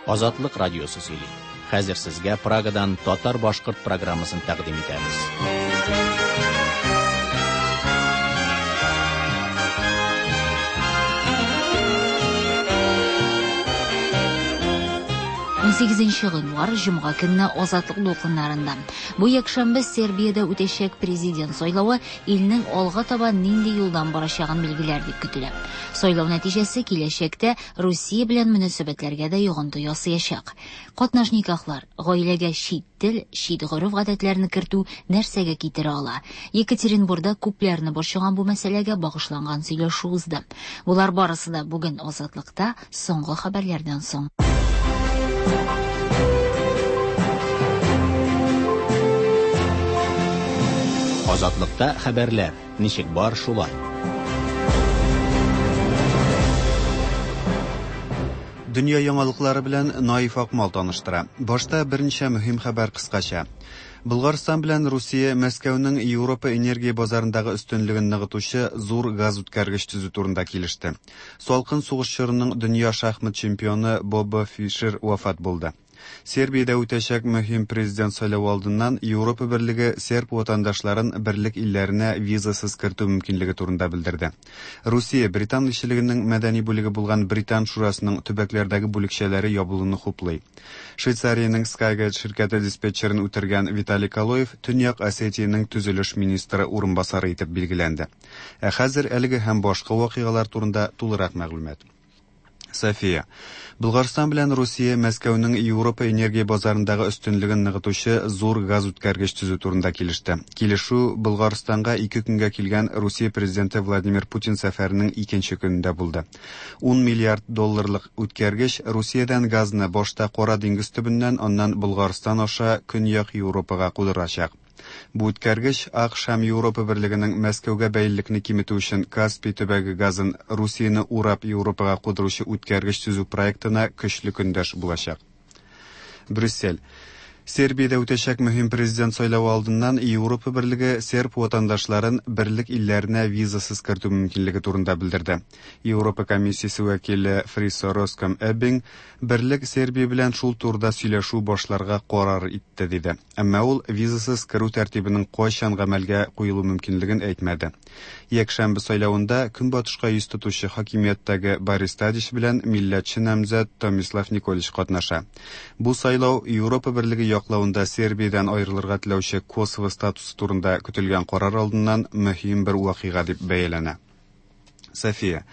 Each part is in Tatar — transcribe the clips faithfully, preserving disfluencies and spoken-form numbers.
Азатлык радиосы сөйли. Хәзер сезгә Прагадан татар-башкорт программасын тәкъдим итәбез. Унсигезенче гыйнвар, җомга көнне Азатлык дулкыннарында. Бу якшәмбе Сербиядә үтәчәк президент сайлавы илнең алга таба нинди юлдан барачагын билгеләр дип көтелә. Сайлау нәтиҗәсе киләчәктә Русия белән мөнәсәбәтләргә дә йогынты ясаячак. Катнаш никахлар, гаиләгә чит тел, чит гореф-гадәтләрне кертү нәрсәгә китерә ала? Екатеринбургда күпләрне борчыган бу мәсьәләгә багышланган сөйләшү узды. Болар барысы да бүген Азатлыкта соңгы хәбәрләрдән соң. Азатлыкта хәбәрләр ничек бар шулай. Дөнья яңалыклары белән Наиф Акмал таныштыра. Башта берничә мөһим хәбәр кыскача. Болгарстан белән Русия Мәскәүнең Европа энергия базарындагы өстенлеген ныгытучы зур газ үткәргеч төзү турында килеште. Салкын сугыш чорының дөнья шахмат чемпионы Бобби Фишер вафат булды. Сербиядә үтәчәк мөһим президент сайлавы алдыннан Европа берлеге серб ватандашларын берлек илләренә визасыз кертү мөмкинлеге турында белдерде. Русия Британ илчелегенең мәдәни бүлеге булган Британ шурасының төбәкләрдәге бүлекчәләре ябылуны хуплый. Швейцариянең Skygate ширкәте диспетчерын үтергән Виталий Калоев Төньяк Осетиянең төзелеш министры урынбасары итеп билгеләнде. Ә хәзер әлеге һәм башка вакыйгалар турында тулырак мәгълүмат. София. Болгарстан белән Русия Мәскәүнең Европа энергия базарындагы өстенлеген ныгытучы зур газ үткәргеч төзү турында килеште. Килешү Болгарстанга ике көнгә килгән Русия президенты Владимир Путин сәфәренең икенче көнендә булды. Ун миллиард долларлык үткәргеч Русиядән газны башта Кара диңгез төбеннән, аннан Болгарстан аша Көньяк Европага кудырачак. Бу үткәргеч АКШ һәм Европа берлегенең Мәскәүгә бәйлелекне киметү өчен Каспий төбәге газын Русияне урап Европага кудыручы үткәргеч төзү проектына көчле көндәш булачак. Брюссель. Сербиядә үтәчәк мөһим президент сайлавы алдыннан Европа берлеге серб ватандашларын берлек илләренә визасыз кертү мөмкинлеге турында белдерде. Европа комиссиясе вәкиле Фрисо Роском Эббинг берлек Сербия белән шул турыда сөйләшү башларга карар итте диде. Әмма ул визасыз керү тәртибенең кайчан гамәлгә куелу мөмкинлеген әйтмәде. Якшәмбе сайлавында көнбатышка йөз тотучы хакимияттәге Борис Тадич белән милләтче намзәт Томислав Николич катнаша. Бу сайлау Европа берлеге яклавында Сербиядән аерылырга теләүче Косово статусы турында көтелгән карар алдыннан мөһим бер вакыйга дип бәяләнә. София.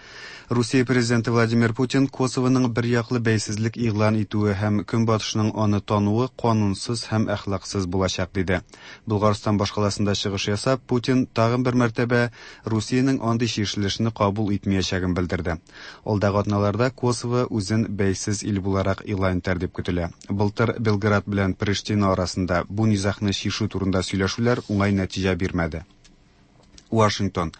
Русия президенты Владимир Путин Косовоның бер яклы бәйсезлек игълан итүе һәм Көнбатышның аны тануы канунсыз һәм әхлаксыз булачак диде. Болгарстан башкаласында чыгыш ясап, Путин тагын бер мәртәбә Русиянең андый чишелешне кабул итмәячәген белдерде. Алдагы атналарда Косово үзен бәйсез ил буларак игълан итәр дип көтелә. Былтыр Белград белән Приштина арасында бу низагны чишү турында сөйләшүләр уңай нәтиҗә бирмәде. Вашингтон.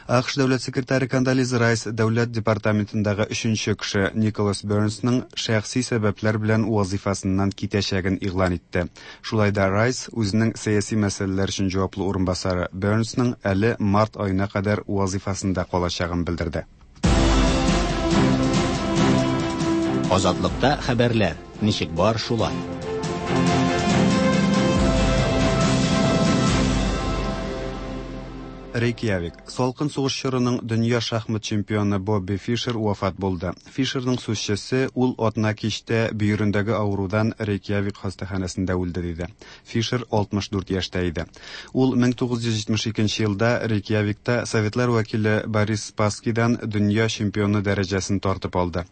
АКШ дәүләт секретаре Кондолиза Райс дәүләт департаментындагы өченче кеше Николас Бернсның шәхси сәбәпләр белән вазифасыннан китәчәген игълан итте. Шулай да Райс үзенең сәяси мәсьәләләр өчен җаваплы урынбасары Бернсның әле март аена кадәр вазифасында калачагын белдерде. Азатлыкта хәбәрләр ничек бар шулай. Рейкьявик. Салкын сугыш чорының дөнья шахмат чемпионы Бобби Фишер вафат булды. Фишерның сүзчесе ул атна кичтә бөерендәге авырудан Рейкьявик хастаханәсендә үлде диде. Фишер алтмыш дүрт яшьтә иде. Ул мең тугыз йөз җитмеш икенче елда Рейкьявикта советлар вәкиле Борис Спасскийдан дөнья чемпионы дәрәҗәсен тартып алды.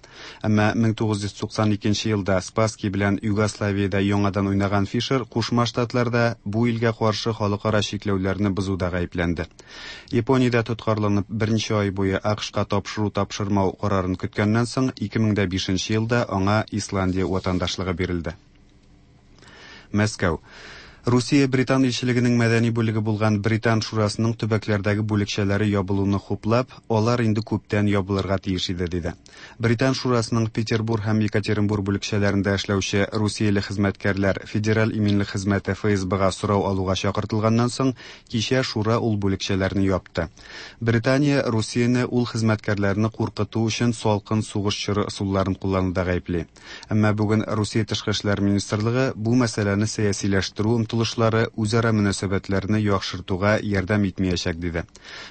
Әмма мең тугыз йөз туксан икенче елда Спасский белән Югославиядә яңадан уйнаган Фишер Кушма Штатларда бу илгә каршы халыкара чикләүләрне бозуда гаепләнде. Япониядә тоткарланып берничә ай буе АКШка тапшыру тапшырмау карарын көткәннән соң ике мең дә бишенче елда аңа Исландия ватандашлыгы бирелде. Мәскәү. Русия Британ илчелегенең мәдәни бүлеге булган Британ шурасының төбәкләрдәге бүлекчәләре ябылуны хуплап, алар инде күптән ябылырга тиеш иде, диде. Британ шурасының Петербург һәм Екатеринбург бүлекчәләрендә эшләүче русияле хезмәткәрләр Федераль иминлек хезмәте Эф Эс Бга сорау алуга чакыртылганнан соң, кичә шура ул бүлекчәләрне япты. Британия Русияне ул хезмәткәрләрне куркыту өчен салкын сугыш чоры ысулларын куллануда гаепли. Әмма бүген Русия Тышкы эшләр министрлыгы бу мәсьәләне сәясиләштерү омтылышлары үзара мөнәсәбәтләрне яхшыртуга ярдәм итмәячәк, диде.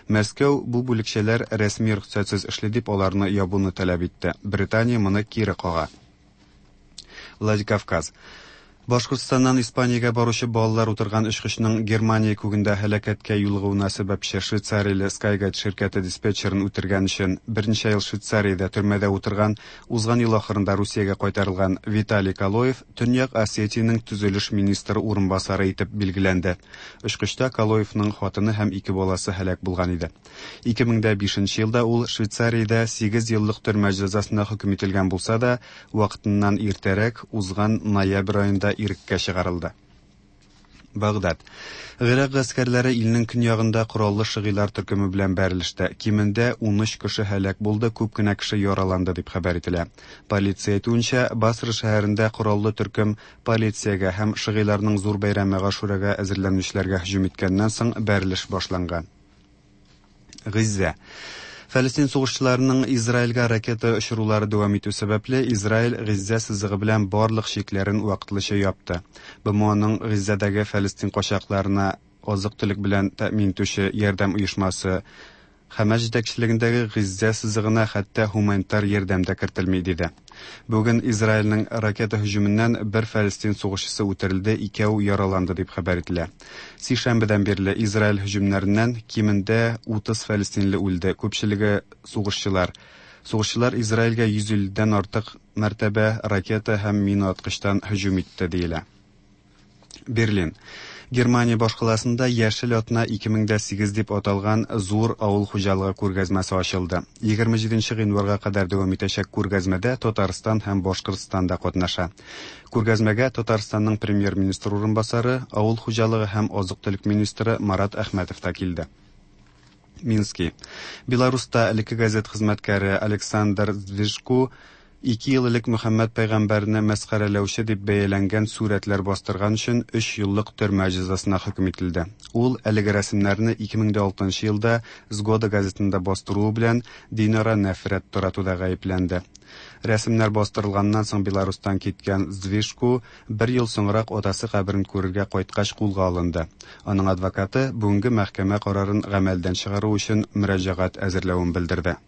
Мәскәү бу бүлекчәләр рәсми рөхсәтсез эшли дип аларны ябуны таләп итте. Британия моны кире кага. Владикавказ. Башкортстаннан Испаниягә баручы балалар утырган очкычның Германия күгендә һәлакәткә юлыгуына сәбәпче швейцарияле Skyguide ширкәте диспетчерын үтергән өчен берничә ел Швейцариядә төрмәдә утырган, узган ел ахырында Русиягә кайтарылган Виталий Калоев Төньяк Осетиянең төзелеш министры урынбасары итеп билгеләнде. Очкычта Калоевның хатыны һәм ике баласы һәлак булган иде. ике мең дә бишенче елда ул Швейцариядә сигез еллык төрмә җәзасына хөкем ителгән булса да, вакытыннан иртәрәк узган ноябрь аенда иреккә чыгарылды. Багдад. Гыйрак гаскәрләре илнең көньягында кораллы шигыйлар төркеме белән бәрелештә. Кимендә унөч кеше һәлак булды, күп кенә кеше яраланды дип хәбәр ителә. Полиция әйтүенчә, Басра шәһәрендә кораллы төркем полициягә һәм шигыйларның зур бәйрәме Гашурага әзерләнүчеләргә һөҗүм иткәннән соң бәрелеш башланган. Газзә. Фәлестин сугышчыларының Израильгә ракета очырулары дәвам итү сәбәпле, Израиль Газзә сызыгы белән барлык чикләрен вакытлыча япты. Б М Оның Газзәдәге фәлестин качакларына азык-төлек белән тәэмин итүче ярдәм оешмасы Хәмәс җитәкчелегендәге Газзә сызыгына хәтта гуманитар ярдәм дә кертелми, диде. Бүген Израильнең ракета һөҗүменнән бер фәлестин сугышчысы үтерелде, икәү яраланды дип хәбәр ителә. Сишәмбедән бирле Израиль һөҗүмнәреннән кимендә утыз фәлестинле үлде, күпчелеге сугышчылар. Сугышчылар Израильгә йөз илледән артык мәртәбә ракета һәм мина аткычтан һөҗүм итте диелә. Берлин. Германия башкаласында Яшел атна ике мең дә сигез дип аталган зур авыл хуҗалыгы күргәзмәсе ачылды. егерме җиденче гыйнварга кадәр дәвам итәчәк күргәзмәдә Татарстан һәм Башкортстан да катнаша. Күргәзмәгә Татарстанның премьер-министр урынбасары, авыл хуҗалыгы һәм азык-төлек министры Марат Әхмәтов та килде. Мински. Беларуста элекке газет хезмәткәре Александр Здвижку ике ел элек Мөхәммәд пәйгамбәрне мәсхәрәләүче дип бәяләнгән сурәтләр бастырган өчен өч еллык төрмә җәзасына хөкем ителде. Ул әлеге рәсемнәрне ике мең дә алтынчы елда Згода газетында бастыруы белән динара нәфрәт таратуда гаепләнде. Рәсемнәр бастырылганнан соң Беларустан киткән Здвижку бер ел соңрак атасы каберен күрергә кайткач кулга алынды. Аның адвокаты бүгенге мәхкәмә карарын гамәлдән чыгару өчен мөрәҗәгать әзерләвен белдерде.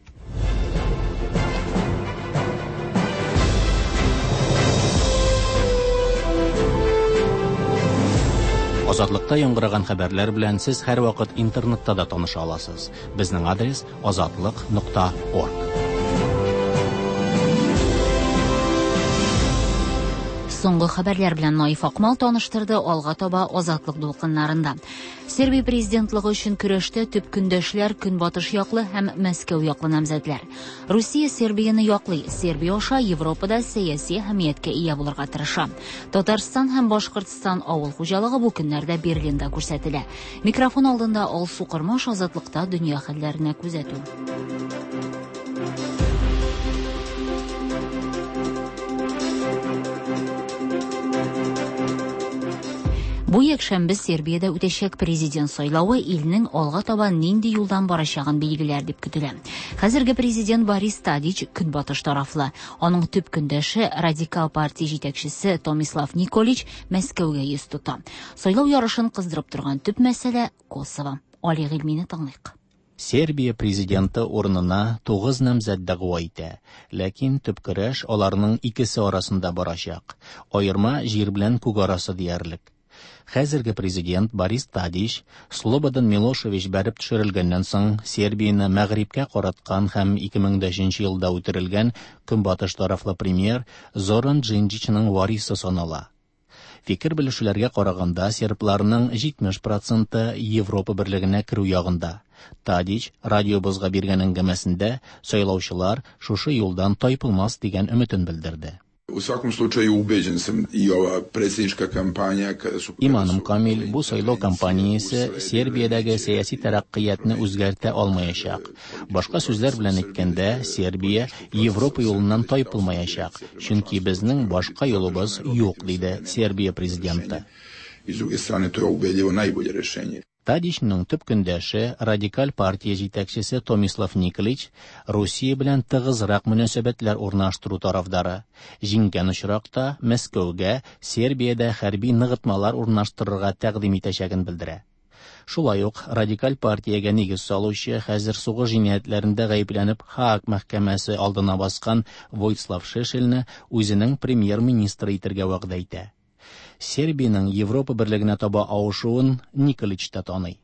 Азатлыкта яңгыраган хәбәрләр белән сез һәрвакыт интернетта да таныша аласыз. Безнең адрес: азатлык нокта орг. Соңгы хәбәрләр белән Наиф Акмал таныштырды, алга таба Азатлык дулкыннарында. Сербия президентлыгы өчен көрәштә төп көндәшләр Көнбатыш яклы һәм Мәскәү яклы намзәтләр. Русия Сербияне яклый. Сербия аша Европада сәяси әһәмияткә ия булырга тырыша. Татарстан һәм Башкортстан авыл хуҗалыгы бу көннәрдә Берлинда күрсәтелә. Микрофон алдында Алсу Кормаш, Азатлыкта дөнья хәлләренә күзәтү. Бу якшәмбе Сербиядә үтәчәк президент сайлавы илнең алга таба нинди юлдан барачагын билгеләр дип көтелә. Хәзерге президент Борис Тадич көнбатыш тарафлы. Аның төп көндәше, радикал партия җитәкчесе Томислав Николич Мәскәүгә йөз тота. Сайлау ярышын кыздырып торган төп мәсьәлә Косово. Али Гыйльмине тыңлыйк. Сербия президенты урынына тугыз намзәт дәгъва итә, ләкин төп көрәш аларның икесе арасында барачак. Аерма җир белән күк арасы диярлек. Хәзерге президент Борис Тадич Слободан Милошевич бәреп төшерелгәннән соң Сербияне мәгърибкә караткан һәм ике мең дә өченче елда үтерелгән көнбатыш тарафлы премьер Зоран Джинджичның варисы санала. Фикер белешүләргә караганда, сербларның җитмеш проценты Европа берлегенә керү ягында. Тадич радиобызга биргән әңгәмәсендә сайлаучылар шушы юлдан тайпылмас дигән өметен белдерде. U svakom slučaju ubeđen sam i ova predsjednička kampanja kada su... Иманым камил, бу сайлау кампаниясе Сербиядәге сәяси тәрәккыятны үзгәртә алмаячак. Башка сүзләр белән әйткәндә, Сербия Европа юлыннан тайпылмаячак, чөнки безнең башка юлыбыз юк, диде Сербия президенты. I s druge strane, to je ubedljivo najbolje rešenje. Тадичның төп көндәше, радикаль партия җитәкчесе Томислав Николич, Русия белән тыгызрак мөнәсәбәтләр урнаштыру тарафдары. Җиңгән очракта Мәскәүгә Сербиядә хәрби ныгытмалар урнаштырырга тәкъдим итәчәген белдерә. Шулай ук радикаль партиягә нигез салучы, хәзер сугыш җинаятьләрендә гаепләнеп Һааг мәхкәмәсе алдына баскан Войслав Шешельне үзенең премьер-министры итәргә вәгъдә итә. Сербиянең Европа берлегенә таба авышуын Николич та таный.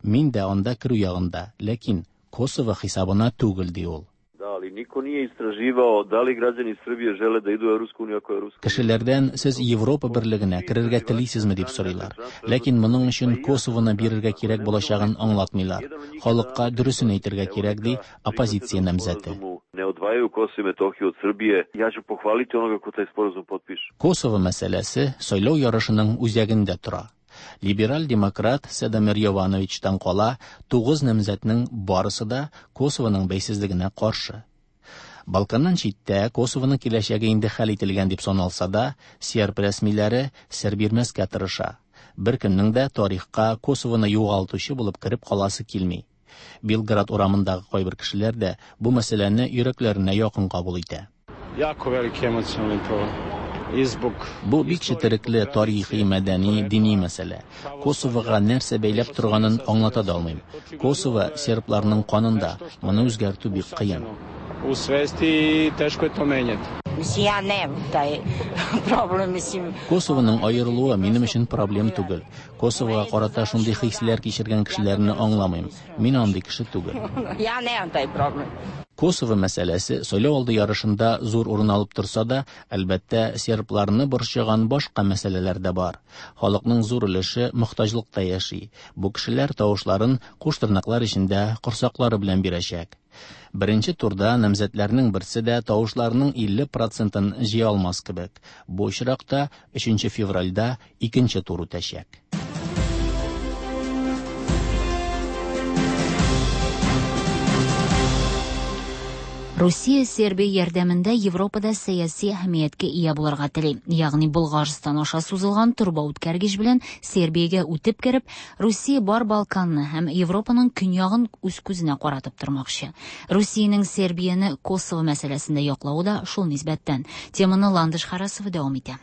Мин дә анда керү ягында, ләкин Косово хисабына түгел, ди ул. Ali niko nije istraživao da li građani Srbije žele da idu u Evropsku uniju ako je Evropska. Кешеләрдән сез Европа берлегенә керергә телисезме дип сорыйлар. Ләкин моның өчен Косовоны бирергә кирәк булачагын аңлатмыйлар. Халыкка дөресен әйтергә кирәк, ди оппозиция намзәте. Ne odvajaju Kosovo i Metohiju od Srbije. Ja ću pohvaliti onoga ko taj sporazum potpiše. Косово мәсьәләсе сайлау ярышының үзәгендә тора. Либерал-демократ Седомир Йовановичтан кала тугыз намзәтнең барысы да Косовоның бәйсезлегенә каршы. Балканнан читтә Косовоның киләчәге инде хәл ителгән дип саналса да, серб рәсмиләре сер бирмәскә тырыша. Бер кемнең дә тарихка Косовоны югалтучы булып кереп каласы килми. Белград урамындагы кайбер кешеләр дә бу мәсьәләне йөрәкләренә якын кабул итә. Jako veliki emocionalni problem. Бу бик четерекле тарихи, мәдәни, дини мәсьәлә. Косовога нәрсә бәйләп торганын аңлата да алмыйм. Косово сербларның канында, моны үзгәртү бик кыен. U svesti teško je to menjati. Mislim, ja nemam taj problem, mislim. Косовоның аерылуы минем өчен проблем түгел. Косовога карата шундый хисләр кичергән кешеләрне аңламыйм. Мин андый кеше түгел. Ja nemam taj problem. Косово мәсьәләсе сайлау алды ярышында зур урын алып торса да, әлбәттә, сербларны борчыган башка мәсьәләләр дә бар. Халыкның зур өлеше мохтаҗлыкта яши. Бу кешеләр тавышларын куш тырнаклар эчендә корсаклары белән бирәчәк. Беренче турда намзәтләрнең берсе дә тавышларның илле процентын җыя алмас кебек. Бу очракта өченче февральдә икенче тур үтәчәк. Русия Сербия ярдәмендә Европада сәяси әһәмияткә ия булырга тели. Ягъни Болгарстан аша сузылган торба үткәргеч белән Сербиягә үтеп кереп, Русия бар Балканны һәм Европаның көньягын үз күзенә каратып тормакчы. Русиянең Сербияне Косово мәсьәләсендә яклавы да шул нисбәттән. Теманы Ландыш Харасова дәвам итә.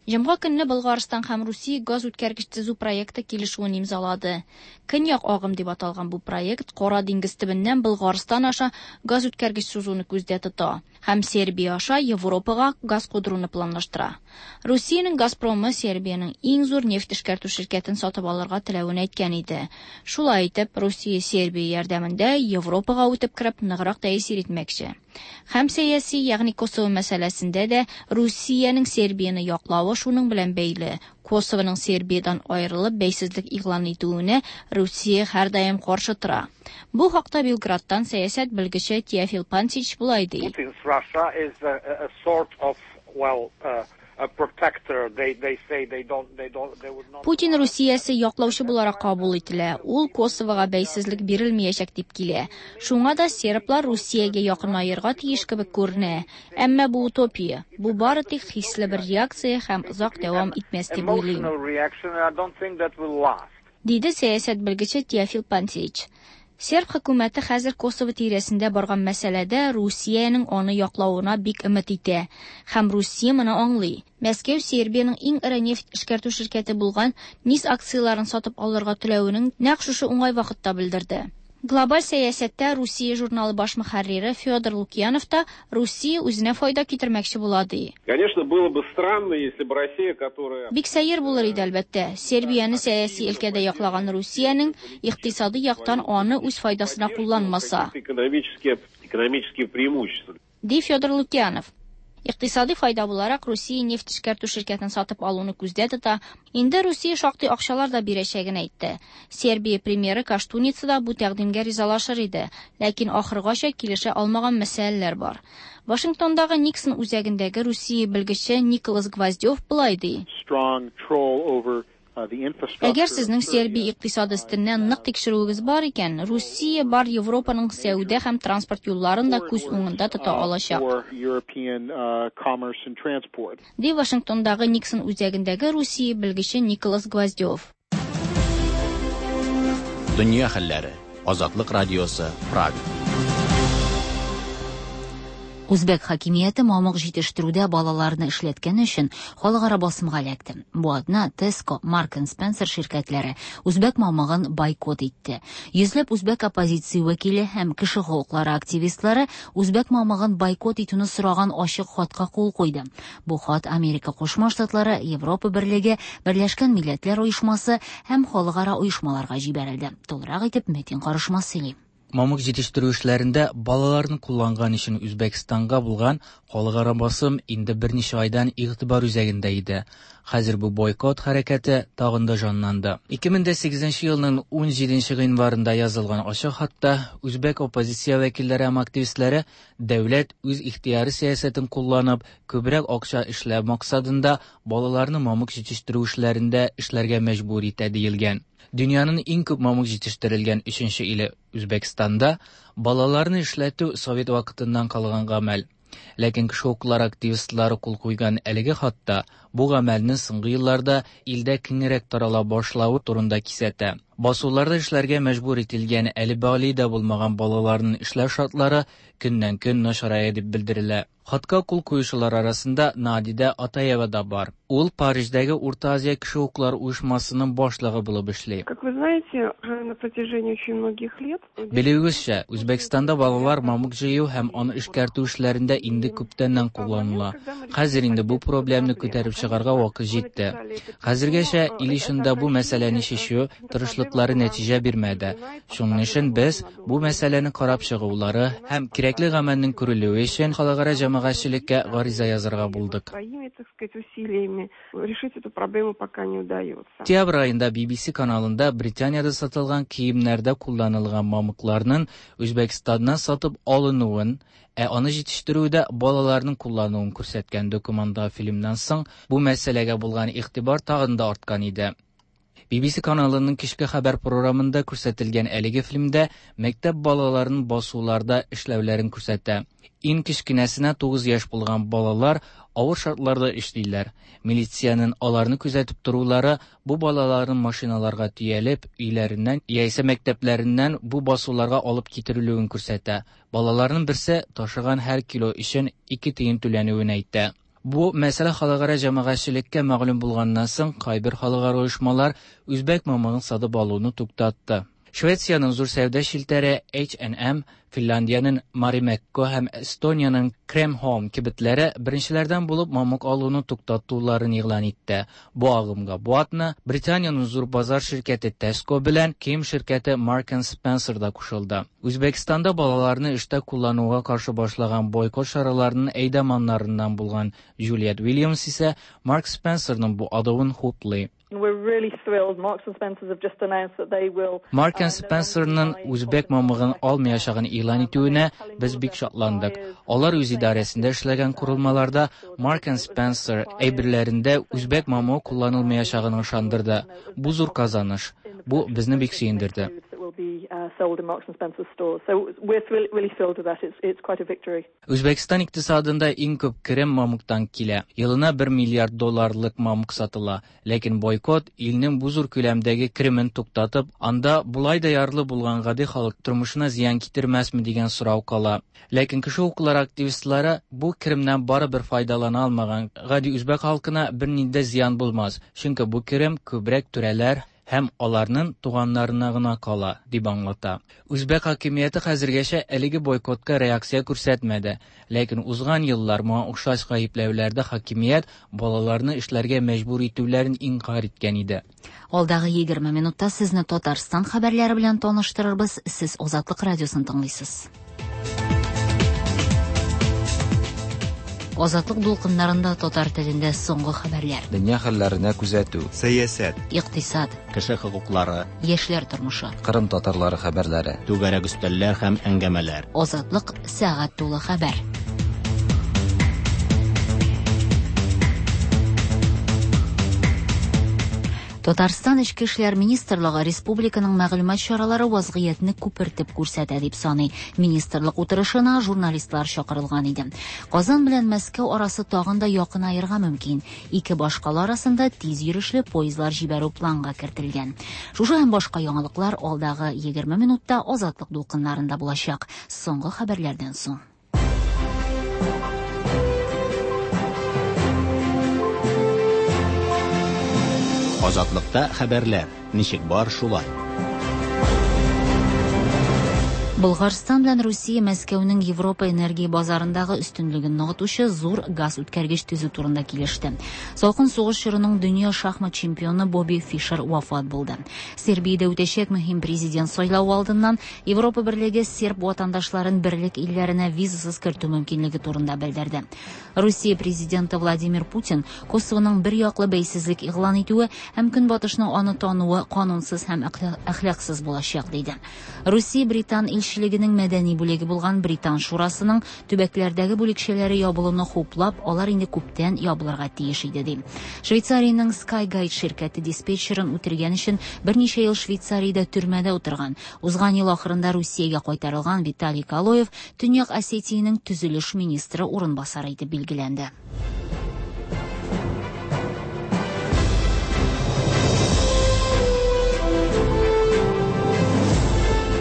Җомга көнне Болгарстан һәм Русия газ үткәргеч төзү проекты килешүен имзалады. Көньяк агым дип аталган бу проект Кара диңгез төбеннән Болгарстан аша газ үткәргеч сузуны күздә тота һәм Сербия аша Европага газ кудыруны планлаштыра. Русиянең Газпромы Сербиянең иң зур нефть эшкәртү ширкәтен сатып алырга теләвен әйткән иде. Шулай итеп, Русия Сербия ярдәмендә Европага үтеп кереп ныграк тәэсир итмәкче. Һәм сәяси, ягъни Косово мәсьәләсендә дә Русиянең Сербияне яклавы шуның белән бәйле. Косовоның Сербиядан аерылып бәйсезлек игълан итүенә Русия һәрдаим каршы тора. Бу хакта Белградтан сәясәт белгече Теофил Пантич болай ди. Putin's Russia is a, a sort of, well, uh, a protector. They they say they don't they don't they would not. Путин Русиясе яклаучы буларак кабул ителә. Ул Косовога бәйсезлек бирелмәячәк дип килә. Шуңа да серблар Русиягә якынаерга тиеш кебек күренә. Әмма бу утопия. Бу бары тик хисле бер реакция һәм озак дәвам итмәс дип уйлыйм. Диде сәясәт белгече Теофил Пантич. Серб хөкүмәте хәзер Косово тирәсендә барган мәсьәләдә Русиянең аны яклавына бик өмет итә. Һәм Русия моны аңлый. Мәскәү Сербиянең иң эре нефть эшкәртү ширкәте булган НИС акцияларын сатып алырга теләвенең нәкъ шушы уңай вакытта белдерде. Глобаль сәясәттә Русия журналы баш мөхәррире Федор Лукьянов та Русия үзенә файда китермәкче була ди. Конечно, было бы странно, если бы Россия, которая Бик сәер булыр иде әлбәттә. Сербияне сәяси өлкәдә яклаган Русиянең икътисади яктан аны үз файдасына кулланмаса. Экономические, экономические преимущества. Ди Федор Лукьянов. Икътисади файда буларак Русия нефть эшкәртү ширкәтен сатып алуны күздә тота. Инде Русия шактый акчалар да бирәчәген әйтте. Сербия премьеры Коштуница да бу тәкъдимгә ризалашыр иде, ләкин ахыргача килешә алмаган мәсьәләләр бар. Вашингтондагы Никсон үзәгендәге Русия белгече Николас Гвоздев болай ди. Әгәр сезнең Сербия икътисады өстеннән нык тикшерүегез бар икән, Русия бар Европаның сәүдә һәм транспорт юлларын да күз уңында тота алачак. Ди Вашингтондагы Никсон үзәгендәге Русия белгече Николас Гвоздев. Дөнья хәлләре. Азатлык радиосы, Прага. Үзбәк хакимияте мамык җитештерүдә балаларны эшләткән өчен халыкара басымга эләкте. Бу атна Tesco, Mark and Spencer ширкәтләре үзбәк мамыгын бойкот итте. Йөзләп үзбәк оппозиция вәкиле һәм кеше хокуклары активистлары үзбәк мамыгын бойкот итүне сораган ачык хатка кул куйды. Бу хат Америка Кушма Штатлары, Европа Берлеге, Берләшкән Милләтләр Оешмасы һәм халыкара оешмаларга җибәрелде. Тулырак итеп Метин Карышмас сөйли. Мамык җитештерү эшләрендә балаларны кулланган өчен Үзбәкстанга булган халыкара басым инде берничә айдан игътибар үзәгендә иде. Хәзер бу бойкот хәрәкәте тагын да җанланды. ике мең сигезенче елның ун җиденче гыйнварында язылган ачык хатта үзбәк оппозиция вәкилләре һәм активистлары дәүләт үз ихтыяры сәясәтен кулланып, күбрәк акча эшләү максатында балаларны мамык җитештерү эшләрендә эшләргә мәҗбүр итә диелгән. Дөньяның иң күп мамык җитештерелгән өченче иле Үзбәкстанда балаларны эшләтү совет вакытыннан калган гамәл. Ләкин кеше хокуклары активистлары кул куйган әлеге хатта бу гамәлнең соңгы елларда илдә киңрәк тарала башлавы турында кисәтә. Басуларда эшләргә мәҗбүр ителгән әле балигъ да булмаган балаларның эшләү шартлары көннән-көн начарая дип белдерелә. Хатка кул куючылар арасында Надида Атаева да бар. Ул Париждәге Урта Азия кеше хокуклары оешмасының башлыгы булып эшли. Как вы знаете, на протяжении очень многих лет Белүегезчә, Үзбәкстанда балалар мамык җыю һәм аны эшкәртү эшләрендә инде күптәннән кулланыла. Хәзер инде бу проблемны күтәреп чыгарга вакыт җитте. Хәзергәчә ил эчендә бу мәсьәләне чишү тырышлыклары нәтиҗә бирмәде. Шуның өчен без бу мәсьәләне карап чыгулары һәм кирәкле гамәлнең күрелүе өчен халыкара җәмәгатьчелеккә гариза язарга булдык. Своими, так сказать, усилиями решить эту проблему пока не удается. Октябрь айында Би Би Си каналында Британиядә сатылган киемнәрдә кулланылган мамыкларның Үзбәкстаннан сатып алынуын, ә аны җитештерүдә балаларның куллануын күрсәткән документаль фильмнан соң бу мәсьәләгә булган игътибар тагын да арткан иде. Би Би Си каналының кичке хәбәр програмында күрсәтелгән әлеге фильмдә мәктәп балаларының басуларда эшләүләрен күрсәтә. Иң кечкенәсенә тугыз яшь булган балалар авыр шартларда эшлиләр. Милициянең аларны күзәтеп торулары бу балаларның машиналарга төялеп, өйләреннән яисә мәктәпләреннән бу басуларга алып китерелүен күрсәтә. Балаларның берсе ташыган һәр кило өчен ике тиен түләнүен әйтә. Бу мәсьәлә халыкара җәмәгатьчелеккә мәгълүм булганнан соң кайбер халыкара оешмалар үзбәк мамыгын сатып алуны туктатты. Швециянең зур сәүдә челтәре H and M, Финляндиянең Marimekko һәм Эстониянең Kremholm кибетләре беренчеләрдән булып мамык алуны туктатуларын игълан итте. Бу агымга бу атна Британиянең зур базар ширкәте Tesco белән кием ширкәте Mark and Spencer да кушылды. Үзбәкстанда балаларны эштә куллануга каршы башлаган бойкот чараларының әйдаманнарыннан булган Juliet Williams исә Mark Spencerның бу адымын хуплый. We're really thrilled. Marks and Spencer have just announced that they will Mark and Spencerның үзбәк мамыгын алмаячагын игълан итүенә без бик шатландык. Алар үз идарәсендә эшләгән корылмаларда Mark and Spencer әйберләрендә үзбәк мамыгы кулланылмаячагын ышандырды. Бу зур казаныш. Бу безне бик сөендерде. Sold in Marks and Spencer stores. So we're thrill-, really thrilled with that. It's, it's quite a victory. Үзбәкстан икътисадында иң күп керем мамыктан килә. Елына бер миллиард долларлык мамык сатыла. Ләкин бойкот илнең бу зур күләмдәге керемен туктатып, анда булай да ярлы булган гади халык тормышына зыян китермәсме дигән сорау кала. Ләкин кеше хокуклары активистлары бу керемнән барыбер файдалана алмаган гади үзбәк халкына бернинди зыян булмас. Чөнки бу керем күбрәк түрәләр һәм аларның туганнарына гына кала, дип аңлата. Үзбәк хакимияте хәзергәчә әлеге бойкотка реакция күрсәтмәде. Ләкин узган еллар моңа охшаш гаепләүләрдә хакимият балаларны эшләргә мәҗбүр итүләрен инкар иткән иде. Алдагы егерме минутта сезне Татарстан хәбәрләре белән таныштырырбыз. Сез Азатлык радиосын тыңлыйсыз. Азатлык дулкыннарында татар телендә соңгы хәбәрләр. Дөнья хәлләренә күзәтү. Сәясәт. Икътисад. Кеше хокуклары. Яшьләр тормышы. Кырым татарлары хәбәрләре. Түгәрәк өстәлләр һәм әңгәмәләр. Азатлык сәгать тулы хәбәр. Татарстан Эчке эшләр министрлыгы республиканың мәгълүмат чаралары вазгыятьне күпертеп күрсәтә дип саный. Министрлык утырышына журналистлар чакырылган иде. Казан белән Мәскәү арасы тагын да якынаерга мөмкин. Ике башкала арасында тиз йөрешле поездлар җибәрү планга кертелгән. Шушы һәм башка яңалыклар алдагы егерме минутта Азатлык дулкыннарында булачак. Соңгы хәбәрләрдән соң. Азатлыкта хәбәрләр ничек бар шулай. Болгарстан белән Русия Мәскәүнең Европа энергия базарындагы өстенлеген ныгытучы зур газ үткәргеч төзү турында килеште. Салкын сугыш чорының дөнья шахмат чемпионы Бобби Фишер вафат булды. Сербиядә үтәчәк мөһим президент сайлавы алдыннан Европа Берлеге серб ватандашларын берлек илләренә визасыз кертү мөмкинлеге турында белдерде. Русия президенты Владимир Путин Косовоның бер яклы бәйсезлек игълан итүе һәм Көнбатышның аны тануы канунсыз һәм әхлаксыз булачак диде. Русия Британ илчелегенең мәдәни бүлеге булган Британ шурасының төбәкләрдәге бүлекчәләре ябылуны хуплап, алар инде күптән ябылырга тиеш иде ди. Швейцариянең Skyguide ширкәте диспетчерын үтергән өчен берничә ел Швейцариядә төрмәдә утырган. Узган ел ахырында Русиягә кайтарылган Виталий Калоев Төньяк Осетиянең төзелеш министры урынбасары итеп билгеләнде.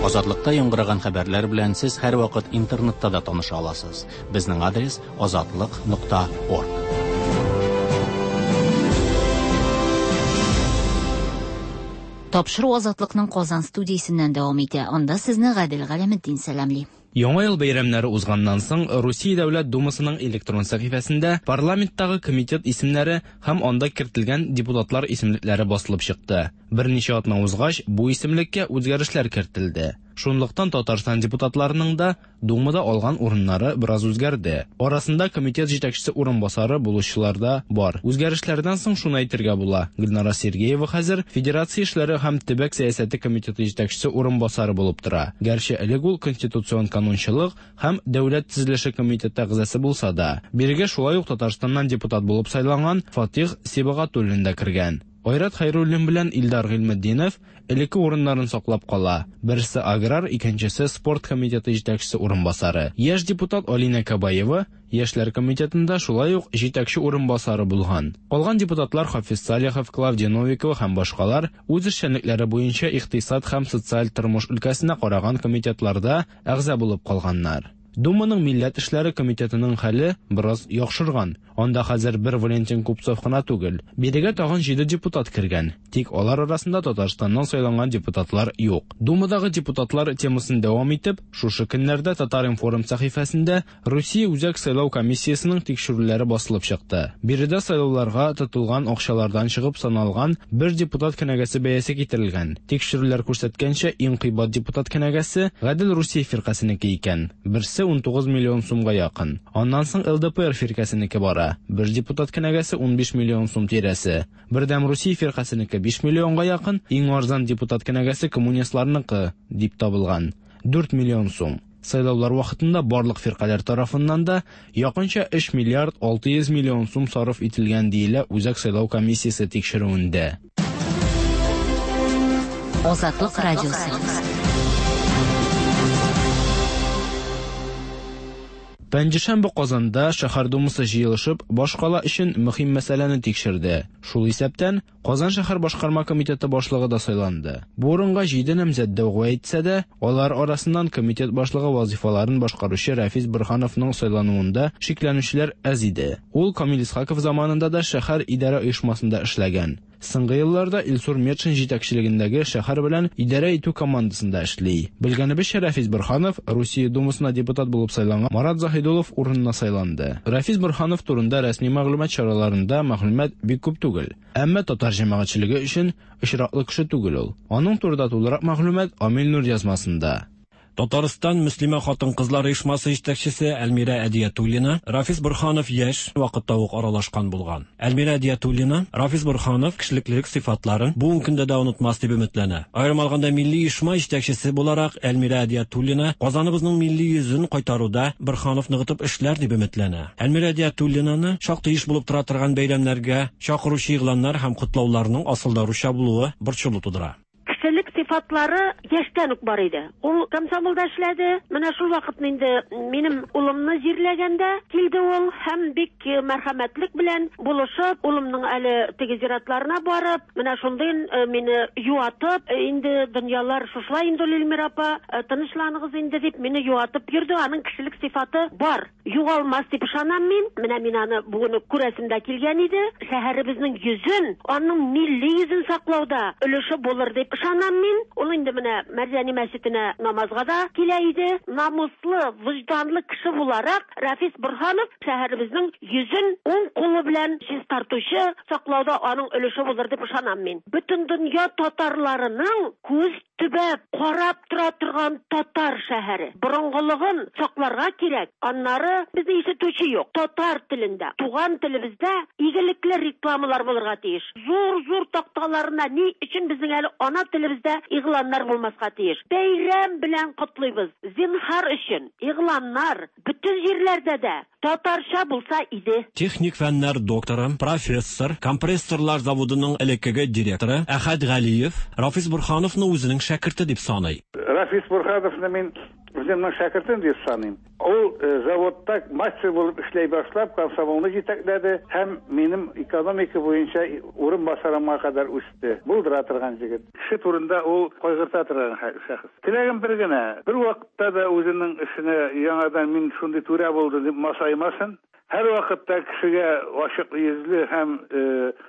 Азатлыкта яңгыраган хәбәрләр белән сез һәрвакыт интернетта да таныша аласыз. Безнең адрес азатлык нокта орг. Тапшыру Азатлыкның Казан студиясеннән дәвам итә. Анда сезне Гадел Галәметдин сәламли. Яңа ел бәйрәмнәре узганнан соң Русия Дәүләт Думасының электрон сәхифәсендә парламенттагы комитет исемнәре һәм анда кертелгән депутатлар исемлекләре басылып чыкты. Берничә атна узгач, бу исемлеккә үзгәрешләр кертелде. Шунлыктан Татарстан депутатларының да Думада алган урыннары бераз үзгәрде. Арасында комитет җитәкчесе урынбасары булучылар да бар. Үзгәрешләрдән соң шуны әйтергә була: Гөлнара Сергеева хәзер Федерация эшләре һәм төбәк сәясәте комитеты җитәкчесе урынбасары булып тора. Гәрчә элек ул Конституцион канунчылык һәм дәүләт төзелеше комитеты әгъзасы булса да, бирегә шулай ук Татарстаннан депутат булып сайланган Фатих Сибагатуллин да кергән. Айрат Хайруллин белән Илдар Гыйльметдинов элекке урыннарын саклап кала. Берсе аграр, икенчесе спорт комитеты җитәкчесе урынбасары. Яшь депутат Алина Кабаева Яшьләр комитетында шулай ук җитәкче урынбасары булган. Калган депутатлар Хафиз Салихов, Клавдия Новикова һәм башкалар үз эшчәнлекләре буенча икътисад һәм социаль тормыш өлкәсенә караган комитетларда әгъза булып калганнар. Думаның милләт эшләре комитетының хәле бераз яхшырган. Анда хәзер бер Валентин Купцов кына түгел. Бирегә тагын җиде депутат кергән. Тик алар арасында Татарстаннан сайланган депутатлар юк. Думадагы депутатлар темасын дәвам итеп, шушы көннәрдә Татар-информ сәхифәсендә Русия Үзәк сайлау комиссиясенең тикшерүләре басылып чыкты. Биредә сайлауларга тотылган акчалардан чыгып саналган бер депутат кенәгәсе бәясе китерелгән. Тикшерүләр күрсәткәнчә, иң кыйбат депутат кенәгәсе Гадел Русия фиркасенеке икән. Берсе ун тугыз миллион сумга якын. Аннан соң Л Д П Р фиркасенеке бара. Бер депутат кенәгәсе ун биш миллион сум тирәсе. Бердәм Русия фиркасенеке биш миллионга якын, иң арзан депутат кенәгәсе коммунистларныкы дип табылган. дүрт миллион сум. Сайлаулар вакытында барлык фиркаләр тарафыннан да якынча өч миллиард алты йөз миллион сум сарыф ителгән диелә Үзәк сайлау комиссиясе тикшерүендә. Азатлык радиосы. Пәнҗешәмбе Казанда шәһәр думасы җыелышып, башкала өчен мөһим мәсьәләне тикшерде. Шул исәптән Казан шәһәр башкарма комитеты башлыгы да сайланды. Бу урынга җиде намзәт дәгъва итсә дә, алар арасыннан комитет башлыгы вазифаларын башкаручы Рафис Борһановның сайлануында шикләнүчеләр әз иде. Ул Камил Исхаков заманында да шәһәр идарә оешмасында эшләгән. Соңгы елларда Илсур Метшин җитәкчелегендәге шәһәр белән идарә итү командасында эшли. Белгәнебезчә, Рафис Борһанов Русия Думасына депутат булып сайланган Марат Заһидуллов урынына сайланды. Рафис Борһанов турында рәсми мәгълүмат чараларында мәгълүмат бик күп түгел. Әмма татар җәмәгатьчелеге өчен очраклы кеше түгел ул. Аның турында тулырак мәгълүмат Амил Нур язмасында. Татарстан мөслимә хатын-кызлар оешмасы җитәкчесе Әлмирә Әдиятуллина Рафис Борһанов яшь вакытта ук аралашкан булган. Әлмирә Әдиятуллина Рафис Борһанов кешелеклелек сыйфатларын бүгенге көндә дә онытмас дип өметләнә. Аерым алганда, милли оешма җитәкчесе буларак Әлмирә Әдиятуллина Казаныбызның милли йөзен кайтаруда Борһанов ныгытып эшләр дип өметләнә. Әлмирә Әдиятуллинаны шактый еш булып тора торган бәйрәмнәргә чакыручы игъланнар һәм котлауларның асылда русча булуы борчылу тудыра. Кешелек сыйфатлары яшьтән үк бар иде. Ул комсомолда эшләде. Менә шул вакытны инде минем улымны җирләгәндә килде ул һәм бик мәрхәмәтлек белән булышып, улымның әле теге зиратларына барып, менә шундый мине юатып, инде дөньялар шушылай инде, Эльмира апа, тынычланыгыз инде дип мине юатып йөрде. Аның кешелек сыйфаты бар. Югалмас дип ышанам мин. Менә мин аны бүген күрәсем дә килгән иде. Шәһәребезнең йөзен, аның милли йөзен саклауда өлеше булыр дип ышанам мин. Ул инде менә Мәрҗани мәчетенә намазга да килә иде. Намуслы, вөҗданлы кеше буларак Рафис Борһанов шәһәребезнең йөзен уң кулы белән чистартучы, саклауда аның өлеше булыр дип ышанам мин. Бөтен дөнья татарларының күз төбәп карап тора торган татар шәһәре. Борынгылыгын сакларга кирәк. Аннары безне ишетүче юк. Татар телендә, туган телебездә игелекле рекламалар булырга тиеш. Зур-зур такталарына ни өчен безнең әле ана телебездә игъланнар булмаска тиеш? Бәйрәм белән котлыйбыз. Зинһар өчен игъланнар бөтен җирләрдә дә татарча булса иде. Техник фәннәр докторы, профессор, компрессорлар заводының элеккеге директоры Әхәт Галиев Рафис Борһановны үзенең шәкерте дип саный. Рафис Борһановны мин үземнең шәкертем дип саныйм. Ул заводта мастер булып эшләй башлап, комсомолны җитәкләде һәм минем экономика буенча урын басарыма кадәр үсте. Булдыра торган җегет. Кеше турында ул кайгырта торган шәхес. Теләгем бер генә, бер вакытта да үзенең эшенә яңадан мин шундый түрә булды дип масаймасын. Һәр вакытта кешегә ачык йөзле һәм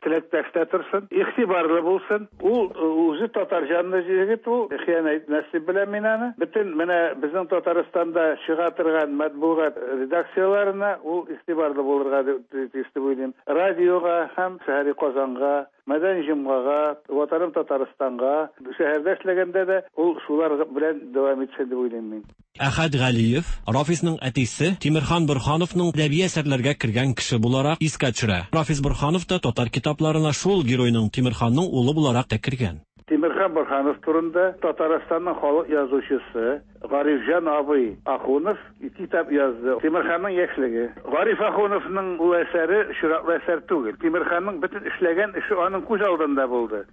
теләктәш тә торсын, игътибарлы булсын. Ул үзе татар җанлы җегет, ул хыянәт итмәс дип беләм мин аны. Бөтен менә безнең Татарстанда чыга торган матбугат редакцияләренә ул игътибарлы булырга тиеш дип уйлыйм. Радиога һәм шәһәри Казанга, Мәдәни җомгага, Ватаным Татарстанга, шәһәрдә эшләгәндә дә ул шулар белән дәвам итсен дип уйлыйм мин. Әхәт Галиев Рафисның әтисе Тимерхан Борһановның әдәби әсәрләргә кергән кеше буларак искә төшерә. Рафис Борһанов та татар китапларына шул геройның, Тимерханның улы буларак та кергән. Тимерхан Борһанов турында Татарстанның халык язучысы Гарифҗан абый Ахунов китап язды. Тимерханның яшьлеге. Гариф Ахуновның ул әсәре очраклы әсәр түгел. Тимерханның бөтен эшләгән эше аның күз алдында булды.